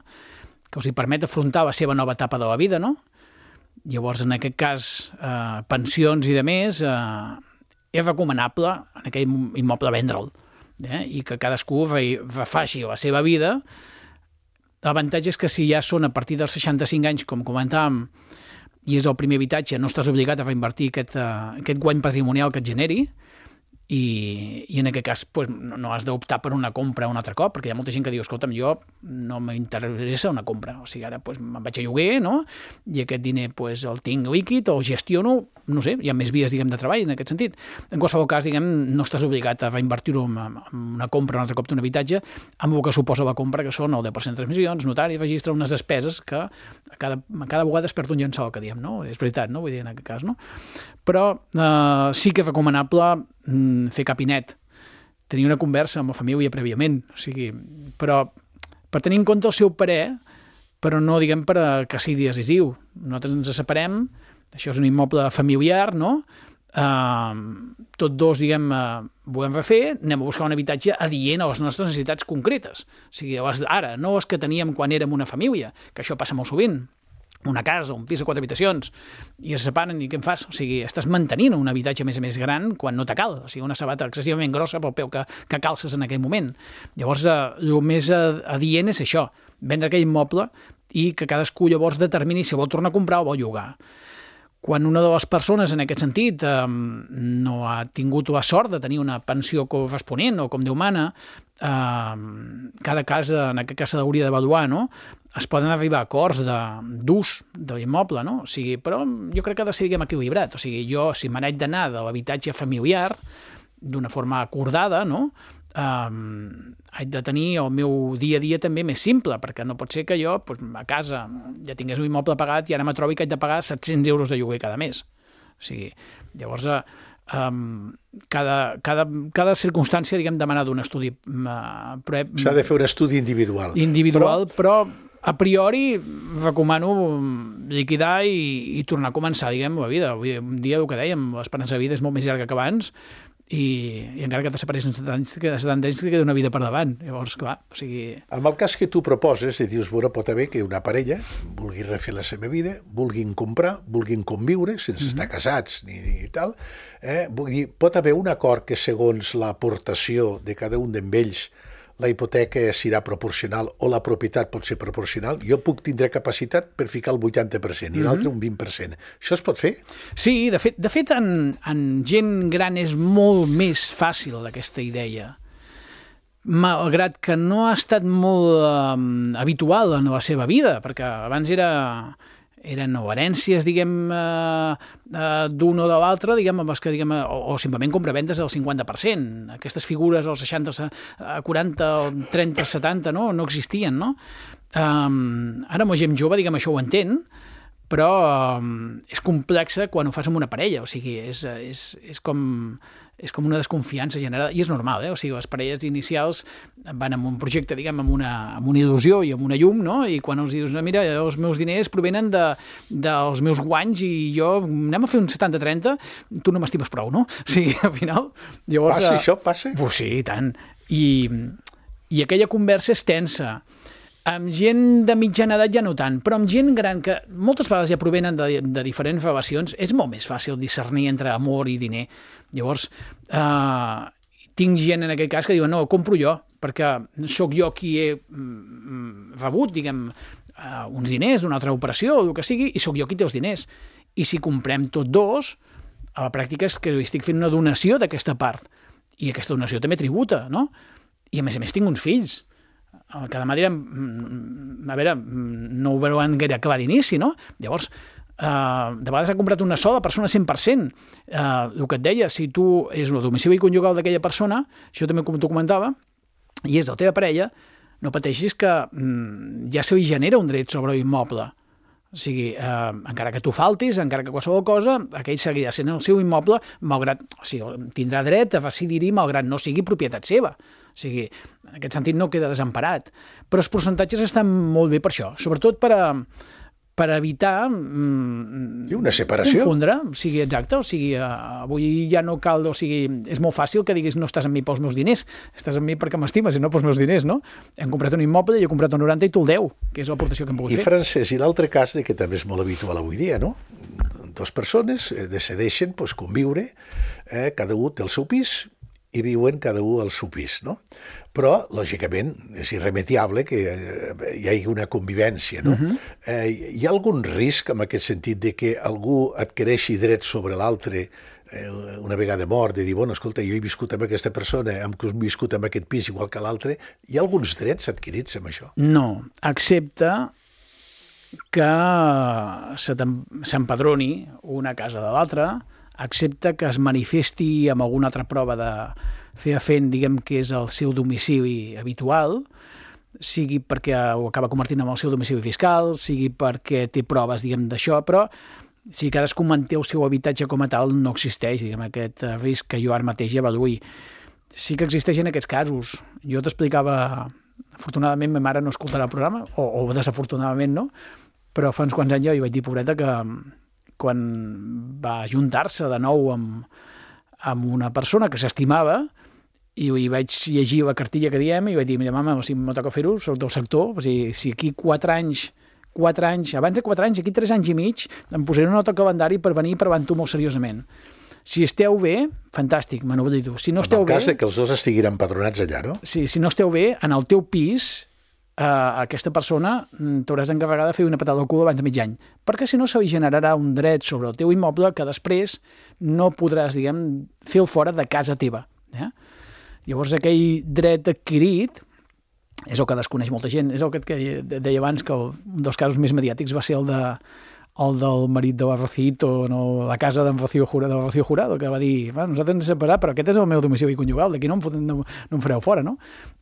que els hi permet afrontar la seva nova etapa de la vida, no? Llavors, en aquest cas, eh, pensions i de més, eh, és recomanable en aquell immoble vendre'l, eh? I que cadascú refaci la seva vida. L'avantatge és que si ja són a partir dels seixanta-cinc anys, com comentàvem, i és el primer habitatge, no estàs obligat a reinvertir aquest, uh, aquest guany patrimonial que et generi, i, i en aquest cas pues, no, no has d'optar per una compra un altre cop, perquè hi ha molta gent que diu, escolta'm, jo no m'interessa una compra, o sigui, ara pues, me'n vaig a lloguer, no?, i aquest diner pues, el tinc líquid o el gestiono, no sé, hi ha més vies, diguem, de treball en aquest sentit. En qualsevol cas, diguem, no estàs obligat a reinvertir-ho en, en una compra un altre cop d'un habitatge, amb el que suposa la compra, que són el deu per cent de transmissions, notari, registre, unes despeses que a cada, a cada vegada es perd un llençol, que diem, no? És veritat, no? Vull dir, en aquest cas, no? Però eh, sí que és recomanable fer capinet, tenir una conversa amb la família prèviament, o sigui, però per tenir en compte el seu parer, però no, diguem, per que sigui decisiu. Nosaltres ens separem, això és un immoble familiar, no? Uh, tots dos, diguem, uh, volem refer, anem a buscar un habitatge adient a les nostres necessitats concretes. O sigui, ara, no els que teníem quan érem una família, que això passa molt sovint, una casa, un pis de quatre habitacions, i es separen i què en fas? O sigui, estàs mantenint un habitatge més a més gran quan no te cal, o sigui, una sabata excessivament grossa pel peu que, que calces en aquell moment. Llavors, eh, el més adient és això, vendre aquell immoble i que cadascú llavors determini si vol tornar a comprar o vol llogar. Quan una de les persones, en aquest sentit, eh, no ha tingut la sort de tenir una pensió corresponent o com Déu mana, eh, cada cas, en aquest cas s'hauria d'avaluar, no?, es poden arribar a acords d'ús de, de l'immoble, no? O sigui, però jo crec que ha de ser, diguem, equilibrat. O sigui, jo, si me n'haig d'anar de l'habitatge familiar d'una forma acordada, no?, Um, haig de tenir el meu dia a dia també més simple, perquè no pot ser que jo pues, a casa ja tingués un immoble pagat i ara me trobi que haig de pagar set-cents euros de lloguer cada mes. O sigui, llavors um, cada, cada, cada circumstància, diguem, demana d'un estudi uh, però, s'ha de fer un estudi individual individual, però, però a priori recomano liquidar i, i tornar a començar, diguem, la vida. Un dia, el que dèiem, l'esperança de vida és molt més llarga que abans, i, i encara que te separis en setanta anys, setanta anys te queda una vida per davant. Llavors, clar, o sigui... En el cas que tu proposes, i dius, bueno, pot haver que una parella vulgui refer la seva vida, vulguin comprar, vulguin conviure, sense mm-hmm. estar casats ni, ni tal, eh? Vull dir, pot haver un acord que segons l'aportació de cada un d'ells la hipoteca serà proporcional o la propietat pot ser proporcional, jo puc tindre capacitat per ficar el vuitanta per cent i mm-hmm. l'altre un vint per cent. Això es pot fer? Sí, de fet, de fet en, en gent gran és molt més fàcil aquesta idea. Malgrat que no ha estat molt um, habitual en la seva vida, perquè abans era... eren o herències, diguem, eh, eh, d'un o de l'altre, diguem, amb els que, diguem, o, o simplement compraventes del cinquanta per cent. Aquestes figures, els seixanta, quaranta, trenta, setanta, no, no existien, no? Um, ara, amb gent jove, diguem, això ho entén, però um, és complexa quan ho fas amb una parella, o sigui, és, és, és com... és com una desconfiança generada, i és normal, eh? O sigui, les parelles inicials van amb un projecte, diguem, amb una, amb una il·lusió i amb una llum, no? I quan els dius, no, mira, els meus diners provenen de, dels meus guanys i jo anem a fer un setanta trenta, tu no m'estimes prou, no? O sigui, al final... Llavors, passa això, passa? Pues sí, i tant. I, i aquella conversa és tensa. Amb gent de mitjana edat ja no tant, però amb gent gran que moltes vegades ja provenen de, de diferents relacions, és molt més fàcil discernir entre amor i diner. Llavors, eh, tinc gent en aquest cas que diuen no, compro jo, perquè sóc jo qui he mm, rebut, diguem, uh, uns diners d'una altra operació o el que sigui, i sóc jo qui té els diners. I si comprem tots dos, a la pràctica és que estic fent una donació d'aquesta part, i aquesta donació també tributa, no? I a més a més tinc uns fills, que de manera, a veure, no ho veuran gaire clar d'inici, no? Llavors, Uh, de vegades ha comprat una sola persona cent per cent. Uh, el que et deia, si tu és el domicili conjugal d'aquella persona, això també com t'ho comentava, i és la teva parella, no pateixis que mm, ja se li genera un dret sobre l'immoble. O sigui, uh, encara que tu faltis, encara que qualsevol cosa, aquell seguirà sent el seu immoble, malgrat, o sigui, tindrà dret a decidir-hi malgrat no sigui propietat seva. O sigui, en aquest sentit no queda desemparat. Però els percentatges estan molt bé per això, sobretot per a per evitar mm, I una separació. confondre, o sigui, exacte, o sigui, uh, avui ja no cal, o sigui, és molt fàcil que diguis no estàs amb mi pels meus diners, estàs amb mi perquè m'estimes i no pels meus diners, no? Hem comprat un immoble i he comprat un noranta i tu el deu, que és l'aportació que hem pogut I, fer. Francesc, i l'altre cas, de que també és molt habitual avui dia, no? Dos persones eh, decideixen pues, conviure, eh, cada un té el seu pis, i viuen cada un al seu pis, no? Però, lògicament, és irremediable que hi hagi una convivència, no? Uh-huh. eh, hi ha algun risc en aquest sentit de que algú adquireixi drets sobre l'altre eh, una vegada mort, de dir, bueno, escolta, jo he viscut amb aquesta persona, hem viscut amb aquest pis igual que l'altre, hi ha alguns drets adquirits amb això? No, excepte que s'empadroni una casa de l'altra, excepte que es manifesti amb alguna altra prova de fer fent, diguem, que és el seu domicili habitual, sigui perquè ho acaba convertint en el seu domicili fiscal, sigui perquè té proves, diguem, d'això, però si cadascú manté el seu habitatge com a tal, no existeix, diguem, aquest risc que jo ara mateix avaluï. Sí que existeixen aquests casos. Jo t'explicava, afortunadament ma mare no escoltarà el programa, o, o desafortunadament no, però fa uns quants anys jo hi vaig dir, pobreta, que quan va ajuntar-se de nou amb, amb una persona que s'estimava, i hi vaig llegir la cartilla que diem i vaig dir, mira, mama, o sigui, m'ho toca fer-ho, soc del sector, o sigui, si aquí quatre anys, quatre anys, abans de quatre anys, aquí tres anys i mig, em posaré una nota al calendari per venir per davant tu molt seriosament. Si esteu bé, fantàstic, me n'oblido. Si no esteu bé... En el cas bé, de que els dos estiguin empadronats allà, no? Sí, si no esteu bé, en el teu pis, Uh, aquesta persona t'hauràs d'encarregar de fer una patada al cul abans de mig any, perquè si no se li generarà un dret sobre el teu immoble que després no podràs, diguem, fer el fora de casa teva. Eh? Llavors aquell dret adquirit és el que desconeix molta gent, és el que deia abans que un dels casos més mediàtics va ser el de el del marit de la Rocito, no, la casa d'en Rocío Jurado, de Rocío Jurado, que va dir, bueno, nosaltres ens hem separat, però aquest és el meu domicili conjugal, d'aquí no, em, no, no em fareu fora, no?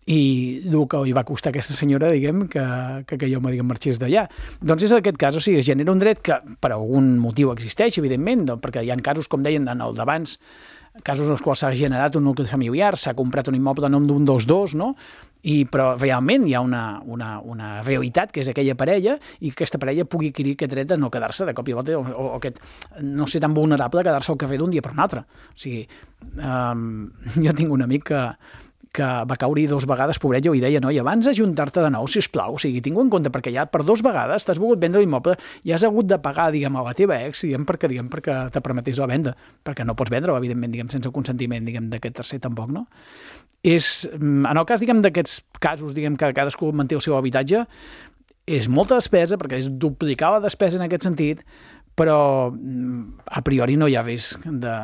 I el que li va costar a aquesta senyora, diguem, que, que, que jo me diguem, marxés d'allà. Doncs és aquest cas, o sigui, es genera un dret que per algun motiu existeix, evidentment, doncs, perquè hi ha casos, com deien en el d'abans, casos en els quals s'ha generat un nucli familiar, s'ha comprat un immoble a nom d'un dels dos, no? I, però realment hi ha una, una, una realitat que és aquella parella i que aquesta parella pugui adquirir aquest dret de no quedar-se de cop i volta o, o, o aquest, no ser tan vulnerable a quedar-se al carrer d'un dia per un altre. O sigui, um, jo tinc un amic que, que va caure dos vegades, pobret, jo li deia, no? I abans ajuntar-te de nou, sisplau, o sigui, tinc en compte, perquè ja per dos vegades t'has volgut vendre l'immoble i has hagut de pagar, diguem, a la teva ex, diguem, perquè, diguem, perquè te permetés la venda, perquè no pots vendre-ho, evidentment, diguem, sense el consentiment, diguem, d'aquest tercer tampoc, no? És, en el cas, diguem, d'aquests casos, diguem, que cadascú manté el seu habitatge, és molta despesa, perquè és duplicar la despesa en aquest sentit, però a priori no hi ha risc de,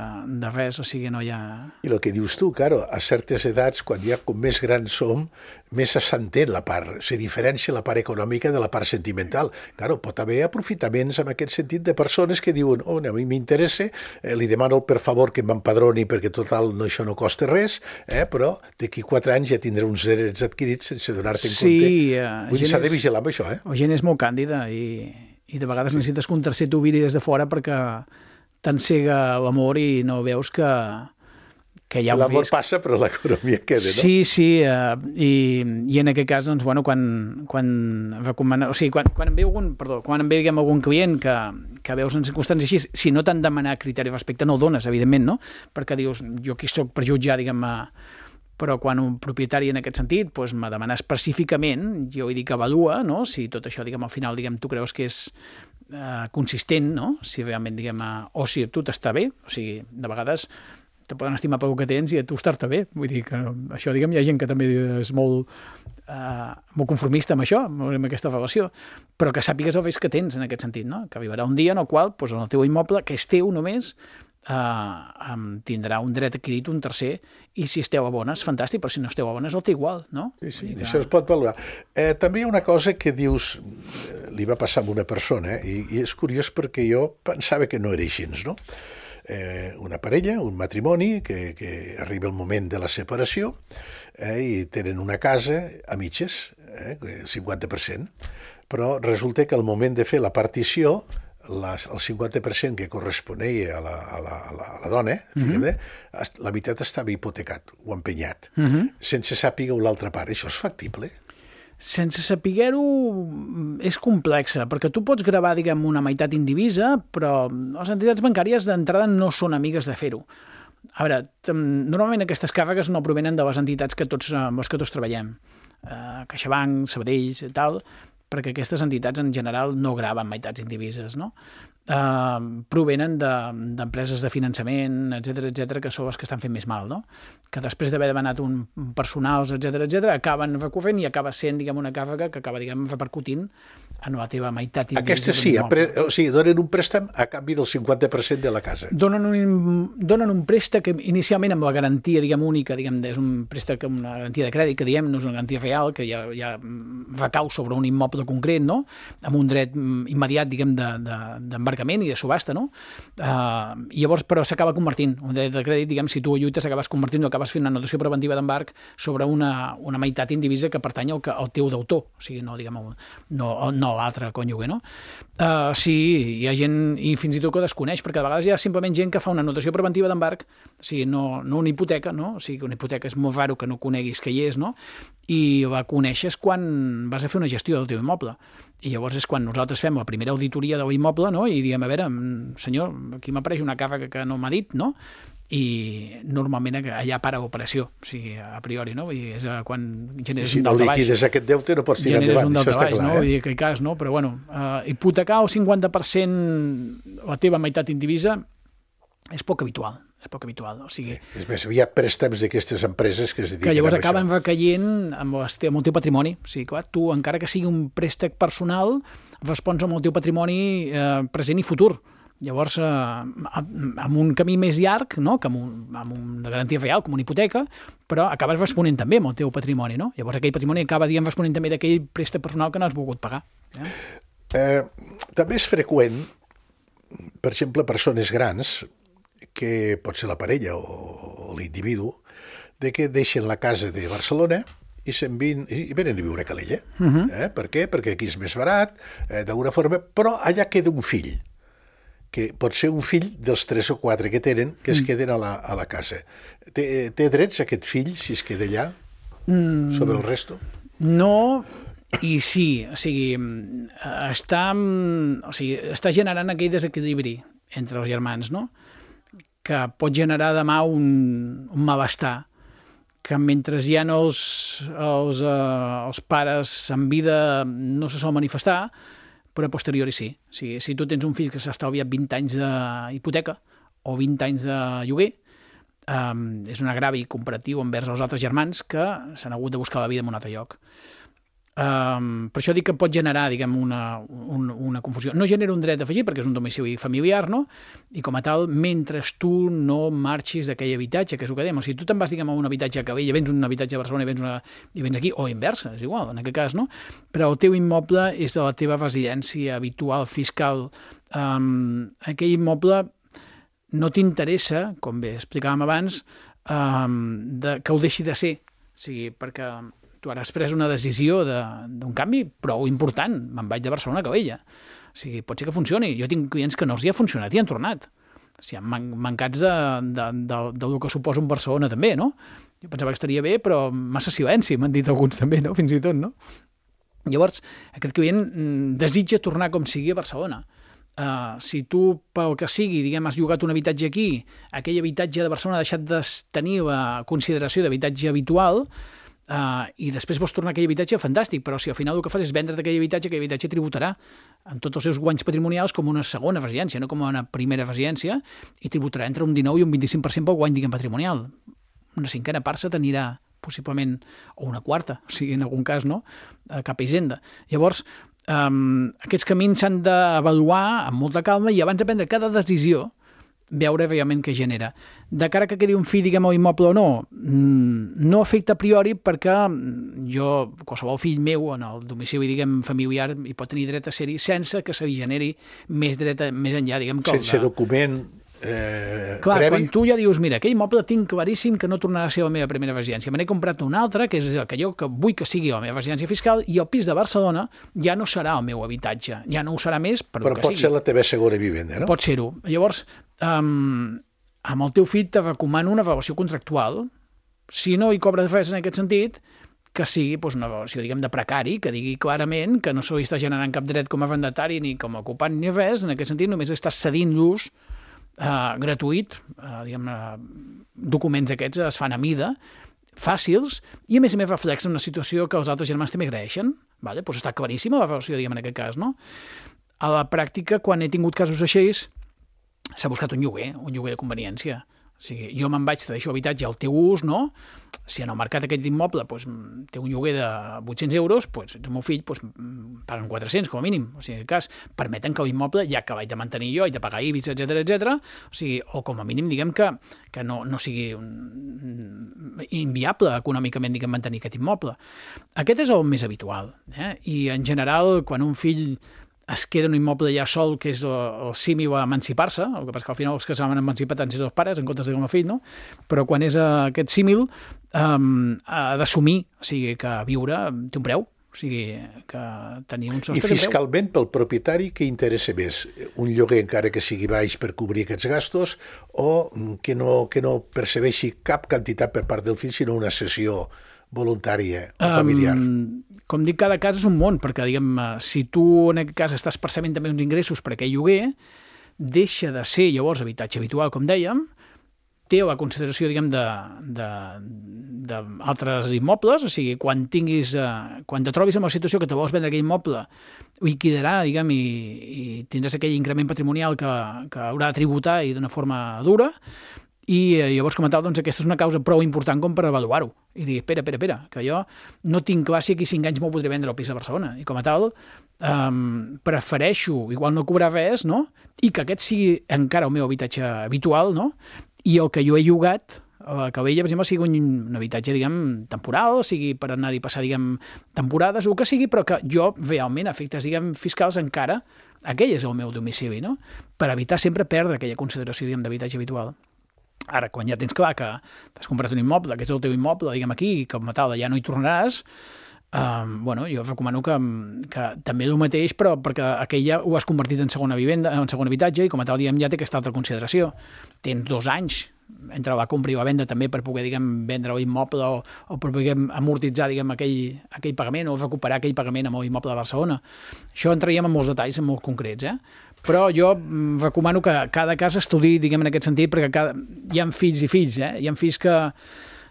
de res, o sigui, no hi ha... I el que dius tu, claro, a certes edats, quan ja com més grans som, més s'entén la part, se diferencia la part econòmica de la part sentimental. Claro, pot haver aprofitaments en aquest sentit de persones que diuen, oh, a mi m'interessa, eh, li demano per favor que m'empadroni perquè total no, això no costa res, eh, però d'aquí quatre anys ja tindré uns drets adquirits sense donar-te en sí, compte. Uh, Vull dir, s'ha de vigilar amb això, eh? La gent és molt càndida i... i de vegades necessites que un tercer t'ho viri des de fora perquè t'encega l'amor i no veus que, que hi ha un L'amor risc. passa, però l'economia queda, no? Sí, sí, uh, i, i en aquest cas, doncs, bueno, quan, quan recomana, o sigui, quan, quan em ve algun, perdó, quan em ve, diguem, algun client que, que veus en circumstàncies així, si no t'han demanat criteri respecte, no el dones, evidentment, no? Perquè dius, jo aquí soc per jutjar, diguem, però quan un propietari en aquest sentit doncs, me demana específicament, jo hi dic avalua, no? Si tot això, diguem, al final, diguem, tu creus que és eh, consistent, no? Si realment, diguem, eh, o si a tu t'està bé, o sigui, de vegades te poden estimar pel que tens i a tu estar-te bé. Vull dir que això, diguem, hi ha gent que també és molt, uh, molt conformista amb això, amb aquesta relació, però que sàpigues el risc que tens en aquest sentit, no? Que arribarà un dia en el qual, doncs, en el teu immoble, que és teu només, Uh, um, tindrà un dret adquirit un tercer, i si esteu a bones, fantàstic, però si no esteu a bones el té igual, no? Sí, sí, que... això es pot valorar. Eh, també hi ha una cosa que dius, li va passar a una persona, eh, i, i és curiós perquè jo pensava que no era així, no? Eh, una parella, un matrimoni, que, que arriba el moment de la separació, eh, i tenen una casa a mitges, eh, cinquanta per cent, però resulta que al moment de fer la partició, Les, el cinquanta per cent que corresponia a la, a la, a la, a la dona, mm-hmm. fíjate, la meitat estava hipotecat o empenyat, mm-hmm. sense sàpiga l'altra part. Això és factible? Sense saber-ho és complexa, perquè tu pots gravar, diguem, una meitat indivisa, però les entitats bancàries d'entrada no són amigues de fer-ho. A veure, normalment aquestes càrregues no provenen de les entitats que tots, amb les que tots treballem. Uh, CaixaBank, Sabadell, tal, perquè aquestes entitats en general no graven meitats indivises, no? Uh, provenen d'empreses de, de finançament, etcètera, etcètera, que són les que estan fent més mal, no? Que després d'haver demanat un personals, etcètera, etcètera, acaben recorrent i acaba sent, diguem, una càrrega que acaba, diguem, repercutint en la teva meitat indivisa. Aquestes sí, pre... o sigui, donen un préstec a canvi del cinquanta per cent de la casa. Donen un, donen un préstec inicialment amb la garantia, diguem, única, diguem, és un préstec amb una garantia de crèdit, que diem, no és una garantia real, que ja, ja recau sobre un immoble concret, no? Amb un dret immediat, diguem, d'embarcament i de subhasta, no? Uh, i llavors, però s'acaba convertint, un dret de crèdit, diguem, si tu lluites acabes convertint o acabes fent una notació preventiva d'embarc sobre una, una meitat indivisa que pertany al, al teu deutor, o sigui, no, diguem, no, no l'altre cònjuge, no? Uh, sí, hi ha gent, i fins i tot que ho desconeix, perquè a vegades hi ha simplement gent que fa una notació preventiva d'embarc, o sigui, no, no una hipoteca, no? O sigui, que una hipoteca és molt raro que no coneguis que hi és, no? I la coneixes quan vas a fer una gestió del teu immoble. I llavors és quan nosaltres fem la primera auditoria de l'immoble, no? I diem, a veure, senyor, aquí m'apareix una càrrega que no m'ha dit, no? I normalment allà para l'operació, o sigui, a priori, no? Vull dir, és quan generes si un no daltabaix. Si no liquides aquest deute no pots tirar endavant, un això està baix, clar, no? eh? Vull dir que hi cas, no? Però bueno, uh, hipotecar el cinquanta per cent la teva meitat indivisa és poc habitual, és poc habitual, o sigui... És més, hi ha préstecs d'aquestes empreses que es dediquen que llavors a acaben això. recaient amb, el, amb el teu patrimoni. O sigui, clar, tu, encara que sigui un préstec personal, respons amb el teu patrimoni eh, present i futur. Llavors, eh, amb un camí més llarg, no? Que amb, un, amb una garantia real, com una hipoteca, però acabes responent també amb el teu patrimoni, no? Llavors aquell patrimoni acaba, diguem, responent també d'aquell préstec personal que no has volgut pagar. Eh? Eh, també és freqüent, per exemple, persones grans, que pot ser la parella o, o l'individu, de que deixen la casa de Barcelona i se'n vin, i venen a viure a Calella. Uh-huh. eh? Per què? Perquè aquí és més barat, eh, d'alguna forma, però allà queda un fill, que pot ser un fill dels tres o quatre que tenen, que es queden a la, a la casa. Té, té drets aquest fill, si es queda allà, mm. sobre el resto? No, i sí, o sigui, està, o sigui, està generant aquell desequilibri entre els germans, no? Que pot generar demà un, un malestar, que mentre hi ha els, els, uh, els pares en vida no se sol manifestar, però a posteriori sí. O sigui, si tu tens un fill que s'ha estalviat vint anys d'hipoteca o vint anys de lloguer, um, és un agravi comparatiu envers els altres germans que s'han hagut de buscar la vida en un altre lloc. Um, per això dic que pot generar, diguem, una, una, una confusió. No genera un dret d'afegir perquè és un domicili familiar, no? I com a tal, mentre tu no marxis d'aquell habitatge, que és el que dèiem, o sigui, tu te'n vas, diguem, a un habitatge a Calella, vens un habitatge a Barcelona i vens, una, i vens aquí, o inversa, és igual, en aquest cas, no? Però el teu immoble és de la teva residència habitual, fiscal. Um, aquell immoble no t'interessa, com bé explicàvem abans, um, de, que ho deixi de ser. O sigui, perquè tu ara has pres una decisió d'un canvi prou important. Me'n vaig de Barcelona a Calella. O sigui, pot ser que funcioni. Jo tinc clients que no els hi ha funcionat i han tornat. O sigui, man mancats de, de, de, del que suposa un Barcelona també, no? Jo pensava que estaria bé, però massa silenci, m'han dit alguns també, no? Fins i tot, no? Llavors, aquest client desitja tornar com sigui a Barcelona. Uh, si tu, pel que sigui, diguem, has llogat un habitatge aquí, aquell habitatge de Barcelona ha deixat de tenir la consideració d'habitatge habitual, Uh, i després vols tornar a aquell habitatge, fantàstic, però si al final el que fas és vendre aquell habitatge, aquell habitatge tributarà amb tots els seus guanys patrimonials com una segona residència, no com una primera residència, i tributarà entre un dinou i un vint-i-cinc per cent pel guany, diguem, patrimonial. Una cinquena part se t'anirà possiblement, o una quarta, o sigui, en algun cas, no?, a cap a Hisenda. Llavors, um, aquests camins s'han d'avaluar amb molta calma i abans de prendre cada decisió veure realment què genera. De cara que quedi un fill, diguem, o immoble o no, no afecta a priori perquè jo, qualsevol fill meu en el domicili, diguem, familiar, hi pot tenir dret a ser-hi sense que se li generi més dret a, més enllà, diguem, que sense el de... document eh, Clar, previ. Quan tu ja dius, mira, aquell immoble tinc claríssim que no tornarà a ser la meva primera residència, me n'he comprat un altre, que és el que jo que vull que sigui la meva residència fiscal, i el pis de Barcelona ja no serà el meu habitatge, ja no ho serà més per però el que pot sigui. ser la teva segona vivenda, no? Pot ser-ho. Llavors, um, amb el teu fill te recomano una relació contractual. Si no hi cobres res en aquest sentit, que sigui doncs, una relació, diguem, de precari, que digui clarament que no se li està generant cap dret com a arrendatari ni com a ocupant ni res, en aquest sentit només estàs cedint l'ús Uh, gratuït, uh, diguem, uh, documents aquests es fan a mida, fàcils, i a més a més reflexen una situació que els altres germans també agraeixen. Vale? Pues està claríssima la relació, diguem, en aquest cas, no? A la pràctica, quan he tingut casos així, s'ha buscat un lloguer, un lloguer de conveniència. O sigui, jo me'n vaig, te deixo habitatge al teu ús, no? Si en el mercat aquest immoble doncs, té un lloguer de vuit-cents euros, doncs, el meu fill doncs, paguen quatre-cents com a mínim. O sigui, en el cas, permeten que l'immoble, ja que l'haig de mantenir jo, haig de pagar I B I S, etcètera, etcètera, o sigui, o com a mínim, diguem que, que no, no sigui un, inviable econòmicament, diguem, mantenir aquest immoble. Aquest és el més habitual. Eh? I, en general, quan un fill es queda un immoble ja sol, que és el, el símil a emancipar-se, el que passa que al final els que s'han emancipat han sigut els pares en comptes de com a fill, no? Però quan és uh, aquest símil um, ha d'assumir, o sigui, que viure té un preu, o sigui, que tenir un sostre. I fiscalment, pel propietari, què interessa més? Un lloguer encara que sigui baix per cobrir aquests gastos o que no, que no percebeixi cap quantitat per part del fill, sinó una cessió voluntària o familiar? Um, com dic, cada cas és un món, perquè, diguem, si tu en aquest cas estàs percebent també uns ingressos per aquell lloguer, deixa de ser llavors habitatge habitual, com dèiem, té la consideració, diguem, d'altres immobles, o sigui, quan tinguis, eh, quan te trobis en la situació que te vols vendre aquell immoble, liquidarà, diguem, i, i tindràs aquell increment patrimonial que, que haurà de tributar i d'una forma dura, i eh, llavors, com a tal, doncs, aquesta és una causa prou important com per avaluar-ho. I dir, espera, espera, espera, que jo no tinc clar si aquí cinc anys m'ho podré vendre al pis de Barcelona. I com a tal, um, prefereixo, igual no cobrar res, no? I que aquest sigui encara el meu habitatge habitual, no? I el que jo he llogat, a Calella, per exemple, sigui un, un habitatge, diguem, temporal, sigui per anar-hi passar, diguem, temporades, o que sigui, però que jo, realment, a efectes, diguem, fiscals, encara, aquell és el meu domicili, no? Per evitar sempre perdre aquella consideració, diguem, d'habitatge habitual. Ara, quan ja tens clar que t'has comprat un immoble, que és el teu immoble, diguem aquí, i com a tal ja no hi tornaràs, eh, bueno, jo recomano que, que també el mateix, però perquè aquell ja ho has convertit en segona vivenda, en segon habitatge, i com a tal, diguem, ja té aquesta altra consideració. Tens dos anys entre la compra i la venda també per poder, diguem, vendre l'immoble o, o per poder amortitzar, diguem, aquell, aquell pagament o recuperar aquell pagament amb l'immoble de Barcelona. Això entraríem en molts detalls, en molt concrets, eh? Però jo recomano que cada cas estudi, diguem, en aquest sentit, perquè cada... hi ha fills i fills, eh? Hi ha fills que,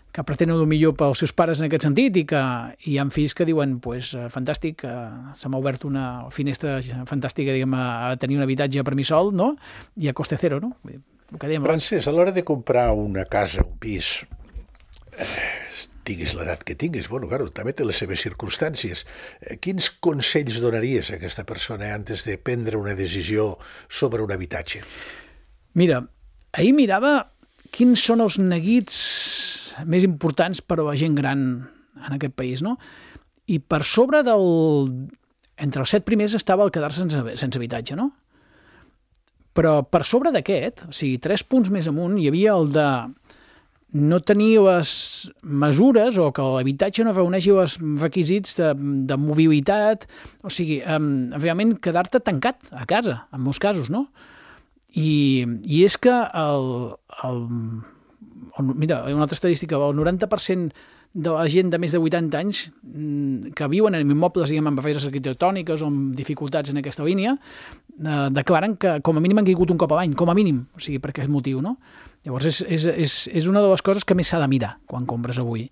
que pretenen el millor pels seus pares en aquest sentit i que hi ha fills que diuen, pues, fantàstic, se m'ha obert una finestra fantàstica, diguem, a tenir un habitatge per mi sol, no? I a coste zero, no? El que dèiem abans. Francesc, a l'hora de comprar una casa, un pis, eh, tinguis l'edat que tinguis, bueno, claro, també té les seves circumstàncies. Eh, quins consells donaries a aquesta persona antes de prendre una decisió sobre un habitatge? Mira, ahir mirava quins són els neguits més importants per a la gent gran en aquest país, no? I per sobre del... Entre els set primers estava el quedar-se sense, sense habitatge, no? Però per sobre d'aquest, o sigui, tres punts més amunt, hi havia el de no tenir les mesures o que l'habitatge no reuneixi els requisits de, de mobilitat, o sigui, um, realment quedar-te tancat a casa, en molts casos, no? I, i és que el, el, el, mira, una altra estadística, el noranta per cent de la gent de més de vuitanta anys que viuen en immobles, diguem, amb barreres arquitectòniques o amb dificultats en aquesta línia, eh, declaren que com a mínim han caigut un cop a l'any, com a mínim, o sigui, per aquest motiu, no? Llavors és, és, és, és una de les coses que més s'ha de mirar quan compres avui.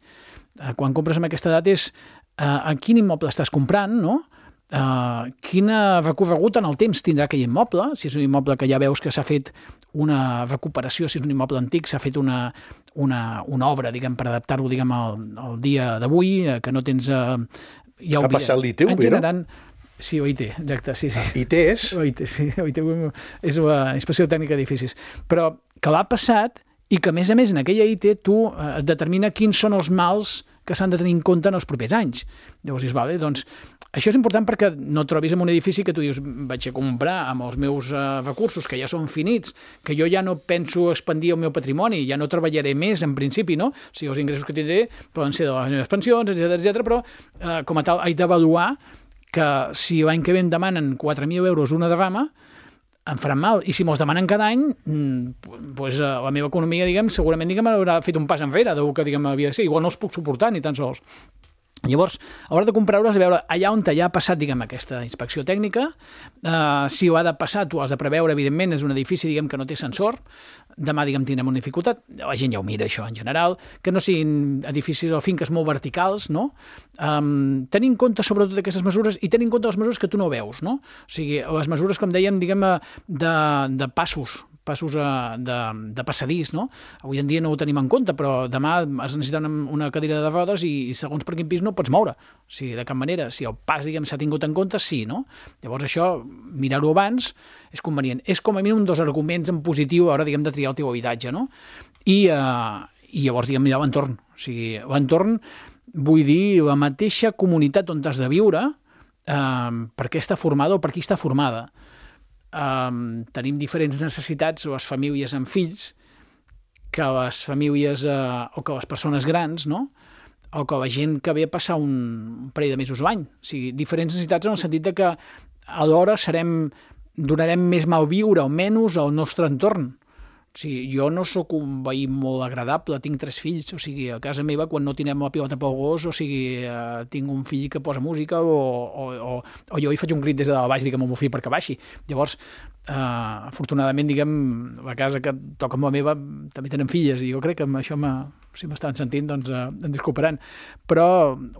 eh, quan compres amb aquesta edat és eh, en quin immoble estàs comprant, no? Uh, quina recorregut en el temps tindrà aquell immoble, si és un immoble que ja veus que s'ha fet una recuperació, si és un immoble antic, s'ha fet una, una, una obra, diguem, per adaptar-lo, diguem, al, al dia d'avui, eh, que no tens... Uh, ja ha passat l'I T U, generant... Sí, O I T, exacte, sí, sí. Ah, I T és? O I T, sí, O I T és la Inspecció Tècnica d'Edificis. Però que l'ha passat i que, a més a més, en aquella I T tu eh, et determina quins són els mals que s'han de tenir en compte en els propers anys. Llavors dius, vale, doncs, això és important perquè no et trobis en un edifici que tu dius, vaig a comprar amb els meus uh, recursos, que ja són finits, que jo ja no penso expandir el meu patrimoni, ja no treballaré més en principi, no? O sigui, els ingressos que tindré poden ser de les meves pensions, etcètera, etcètera, però uh, com a tal haig d'avaluar que si l'any que ve em demanen quatre mil euros una derrama, em faran mal. I si me'ls demanen cada any, doncs la meva economia, diguem, segurament, diguem, haurà fet un pas enrere del que, diguem, havia de ser. Igual no els puc suportar ni tan sols. Llavors, a l'hora de comprar-los, a veure, allà on ja ha passat, diguem, aquesta inspecció tècnica, eh, si ho ha de passar, tu has de preveure, evidentment, és un edifici, diguem, que no té sensor, demà, diguem, tindrem una dificultat, la gent ja ho mira, això, en general, que no siguin edificis o finques molt verticals, no? Um, tenir en compte, sobretot, aquestes mesures, i tenir en compte les mesures que tu no veus, no? O sigui, les mesures, com dèiem, diguem, de, de passos, passos de, de passadís, no? Avui en dia no ho tenim en compte, però demà has necessita una, una cadira de rodes i segons per quin pis no pots moure. O sigui, de cap manera. Si el pas, diguem, s'ha tingut en compte, sí, no? Llavors això, mirar-ho abans, és convenient. És com a mínim dos arguments en positiu a l'hora, diguem, de triar el teu habitatge, no? I, eh, i llavors, diguem, mirar l'entorn. O sigui, l'entorn, vull dir, la mateixa comunitat on has de viure, eh, per què està formada o per qui està formada. Um, tenim diferents necessitats, les famílies amb fills, que les famílies eh, o que les persones grans, no? O que la gent que ve a passar un, un parell de mesos a l'any. O sigui, diferents necessitats en el sentit de que alhora serem, donarem més mal viure o menys al nostre entorn. O sigui, jo no sóc un veí molt agradable, tinc tres fills, o sigui, a casa meva, quan no tindrem la pilota pel gos, o sigui, eh, tinc un fill que posa música o, o, o, o jo hi faig un crit des de dalt baix, diguem, al meu fill perquè baixi. Llavors, eh, afortunadament, diguem, la casa que toca amb la meva també tenen filles, i jo crec que amb això, si m'estan sentint, doncs eh, em disculparan. Però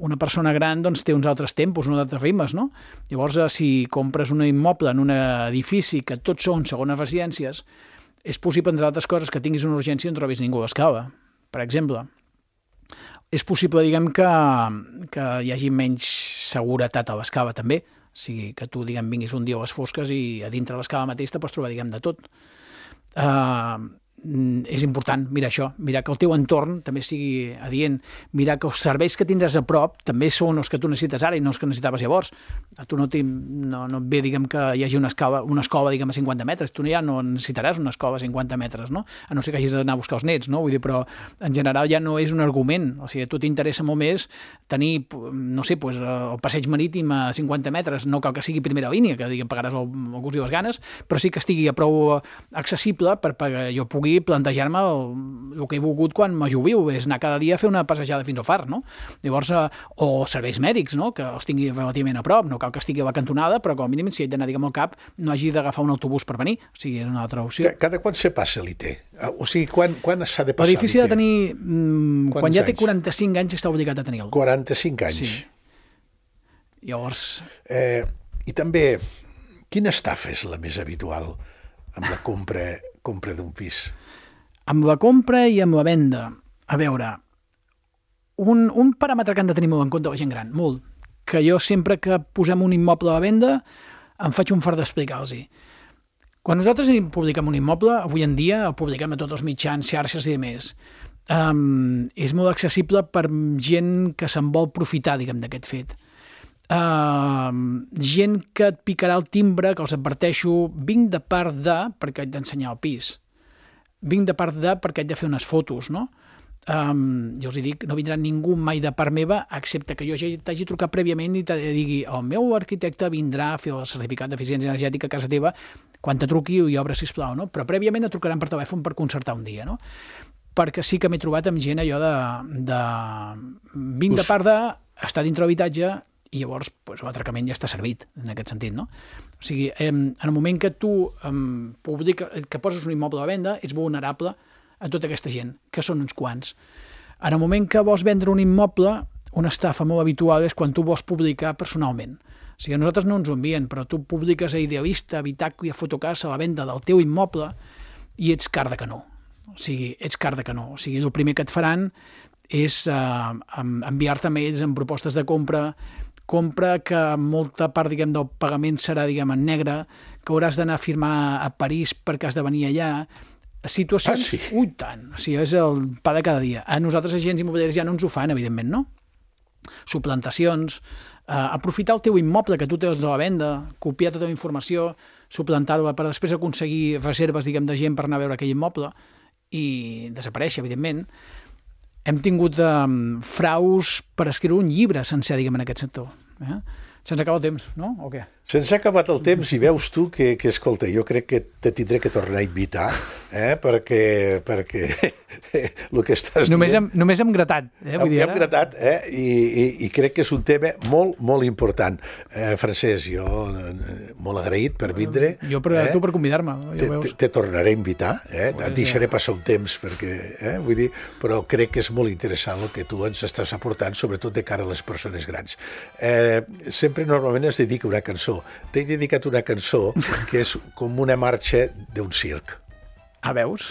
una persona gran doncs, té uns altres tempos, uns altres ritmes, no? Llavors, eh, si compres un immoble en un edifici que tots són segones residències, és possible, entre altres coses, que tinguis una urgència i no trobis ningú a l'escala, per exemple. És possible, diguem, que, que hi hagi menys seguretat a l'escala, també. O sigui, que tu, diguem, vinguis un dia a les fosques i a dintre l'escala mateix te pots trobar, diguem, de tot. Uh, és important mirar això, mirar que el teu entorn també sigui adient, mirar que els serveis que tindràs a prop també són els que tu necessites ara i no els que necessitaves llavors. A tu no, no, no et ve, diguem, que hi hagi una escala, una escova, diguem, a cinquanta metres, tu ja no necessitaràs una escova a cinquanta metres, no? A no ser que hagis d'anar a buscar els nets, no? Vull dir, però en general ja no és un argument, o sigui, a tu t'interessa molt més tenir, no sé, pues, el passeig marítim a cinquanta metres, no cal que sigui primera línia, que, diguem, pagaràs el, el gust i les ganes, però sí que estigui a prou accessible per que jo pugui plantejar-me el, el que he volgut quan me jubiu, és anar cada dia a fer una passejada fins al far, no? Llavors, eh, o serveis mèdics, no? Que els tingui relativament a prop, no cal que estigui a la cantonada, però com a mínim, si he d'anar, diguem, al cap, no hagi d'agafar un autobús per venir, o sigui, és una altra opció. Cada quan se passa l'I T? O sigui, quan, quan s'ha de passar l'I T? L'edifici ha de tenir, mm, quan ja té quaranta-cinc anys, està obligat a tenir-lo. quaranta-cinc anys? Sí. Llavors... Eh, I també, quina estafa és la més habitual amb la compra, compra d'un pis? Amb la compra i amb la venda. A veure, un, un paràmetre que han de tenir molt en compte la gent gran, molt, que jo sempre que posem un immoble a la venda em faig un fart d'explicar-los-hi. Quan nosaltres publiquem un immoble, avui en dia el publiquem a tots els mitjans, xarxes i demés, um, és molt accessible per gent que se'n vol profitar, diguem, d'aquest fet. Uh, gent que et picarà el timbre, que els adverteixo, vinc de part de, perquè haig d'ensenyar el pis. Vinc de part de perquè haig de fer unes fotos, no? Um, jo us hi dic, no vindrà ningú mai de part meva, excepte que jo ja t'hagi trucat prèviament i te digui el meu arquitecte vindrà a fer el certificat d'eficiència energètica a casa teva quan te truqui i obre, sisplau, no? Però prèviament et trucaran per telèfon per concertar un dia, no? Perquè sí que m'he trobat amb gent allò de... de vinc de part de, estar dintre l'habitatge i llavors pues, l'atracament ja està servit, en aquest sentit, no? O sigui, en el moment que tu em, publica, que poses un immoble a la venda, ets vulnerable a tota aquesta gent, que són uns quants. En el moment que vols vendre un immoble, una estafa molt habitual és quan tu vols publicar personalment. O sigui, a nosaltres no ens ho envien, però tu publiques a Idealista, a Bitaco i a Fotocasa la venda del teu immoble i ets car de canó. O sigui, ets car de canó. O sigui, el primer que et faran és uh, enviar-te mails amb propostes de compra, compra que molta part, diguem, del pagament serà, diguem, en negre, que hauràs d'anar a firmar a París perquè has de venir allà. Situacions... Ah, sí? Ui, tant. O sigui, és el pa de cada dia. A nosaltres, agents immobiliaris, ja no ens ho fan, evidentment, no? Suplantacions, eh, aprofitar el teu immoble que tu tens a la venda, copiar tota la informació, suplantar-la per després aconseguir reserves, diguem, de gent per anar a veure aquell immoble i desaparèixer, evidentment. Hem tingut eh, fraus per escriure un llibre sencer, diguem, en aquest sector. Eh? Se'ns acaba el temps, no? O què? Se'ns ha acabat el temps i veus tu que, que escolta, jo crec que te tindré que tornar a invitar, eh? perquè, perquè el que estàs només dient... Hem, només hem gratat. Eh? Vull dir, hem gratat, eh? I, i, i crec que és un tema molt, molt important. Eh, Francesc, jo eh, molt agraït per vindre. Jo per, eh? tu per convidar-me. Ja te, te, te tornaré a invitar, eh? Et deixaré passar un temps, perquè, eh? Vull dir, però crec que és molt interessant el que tu ens estàs aportant, sobretot de cara a les persones grans. Eh, sempre normalment es dedica una cançó. T'he dedicat una cançó que és com una marxa d'un circ. Ah, veus?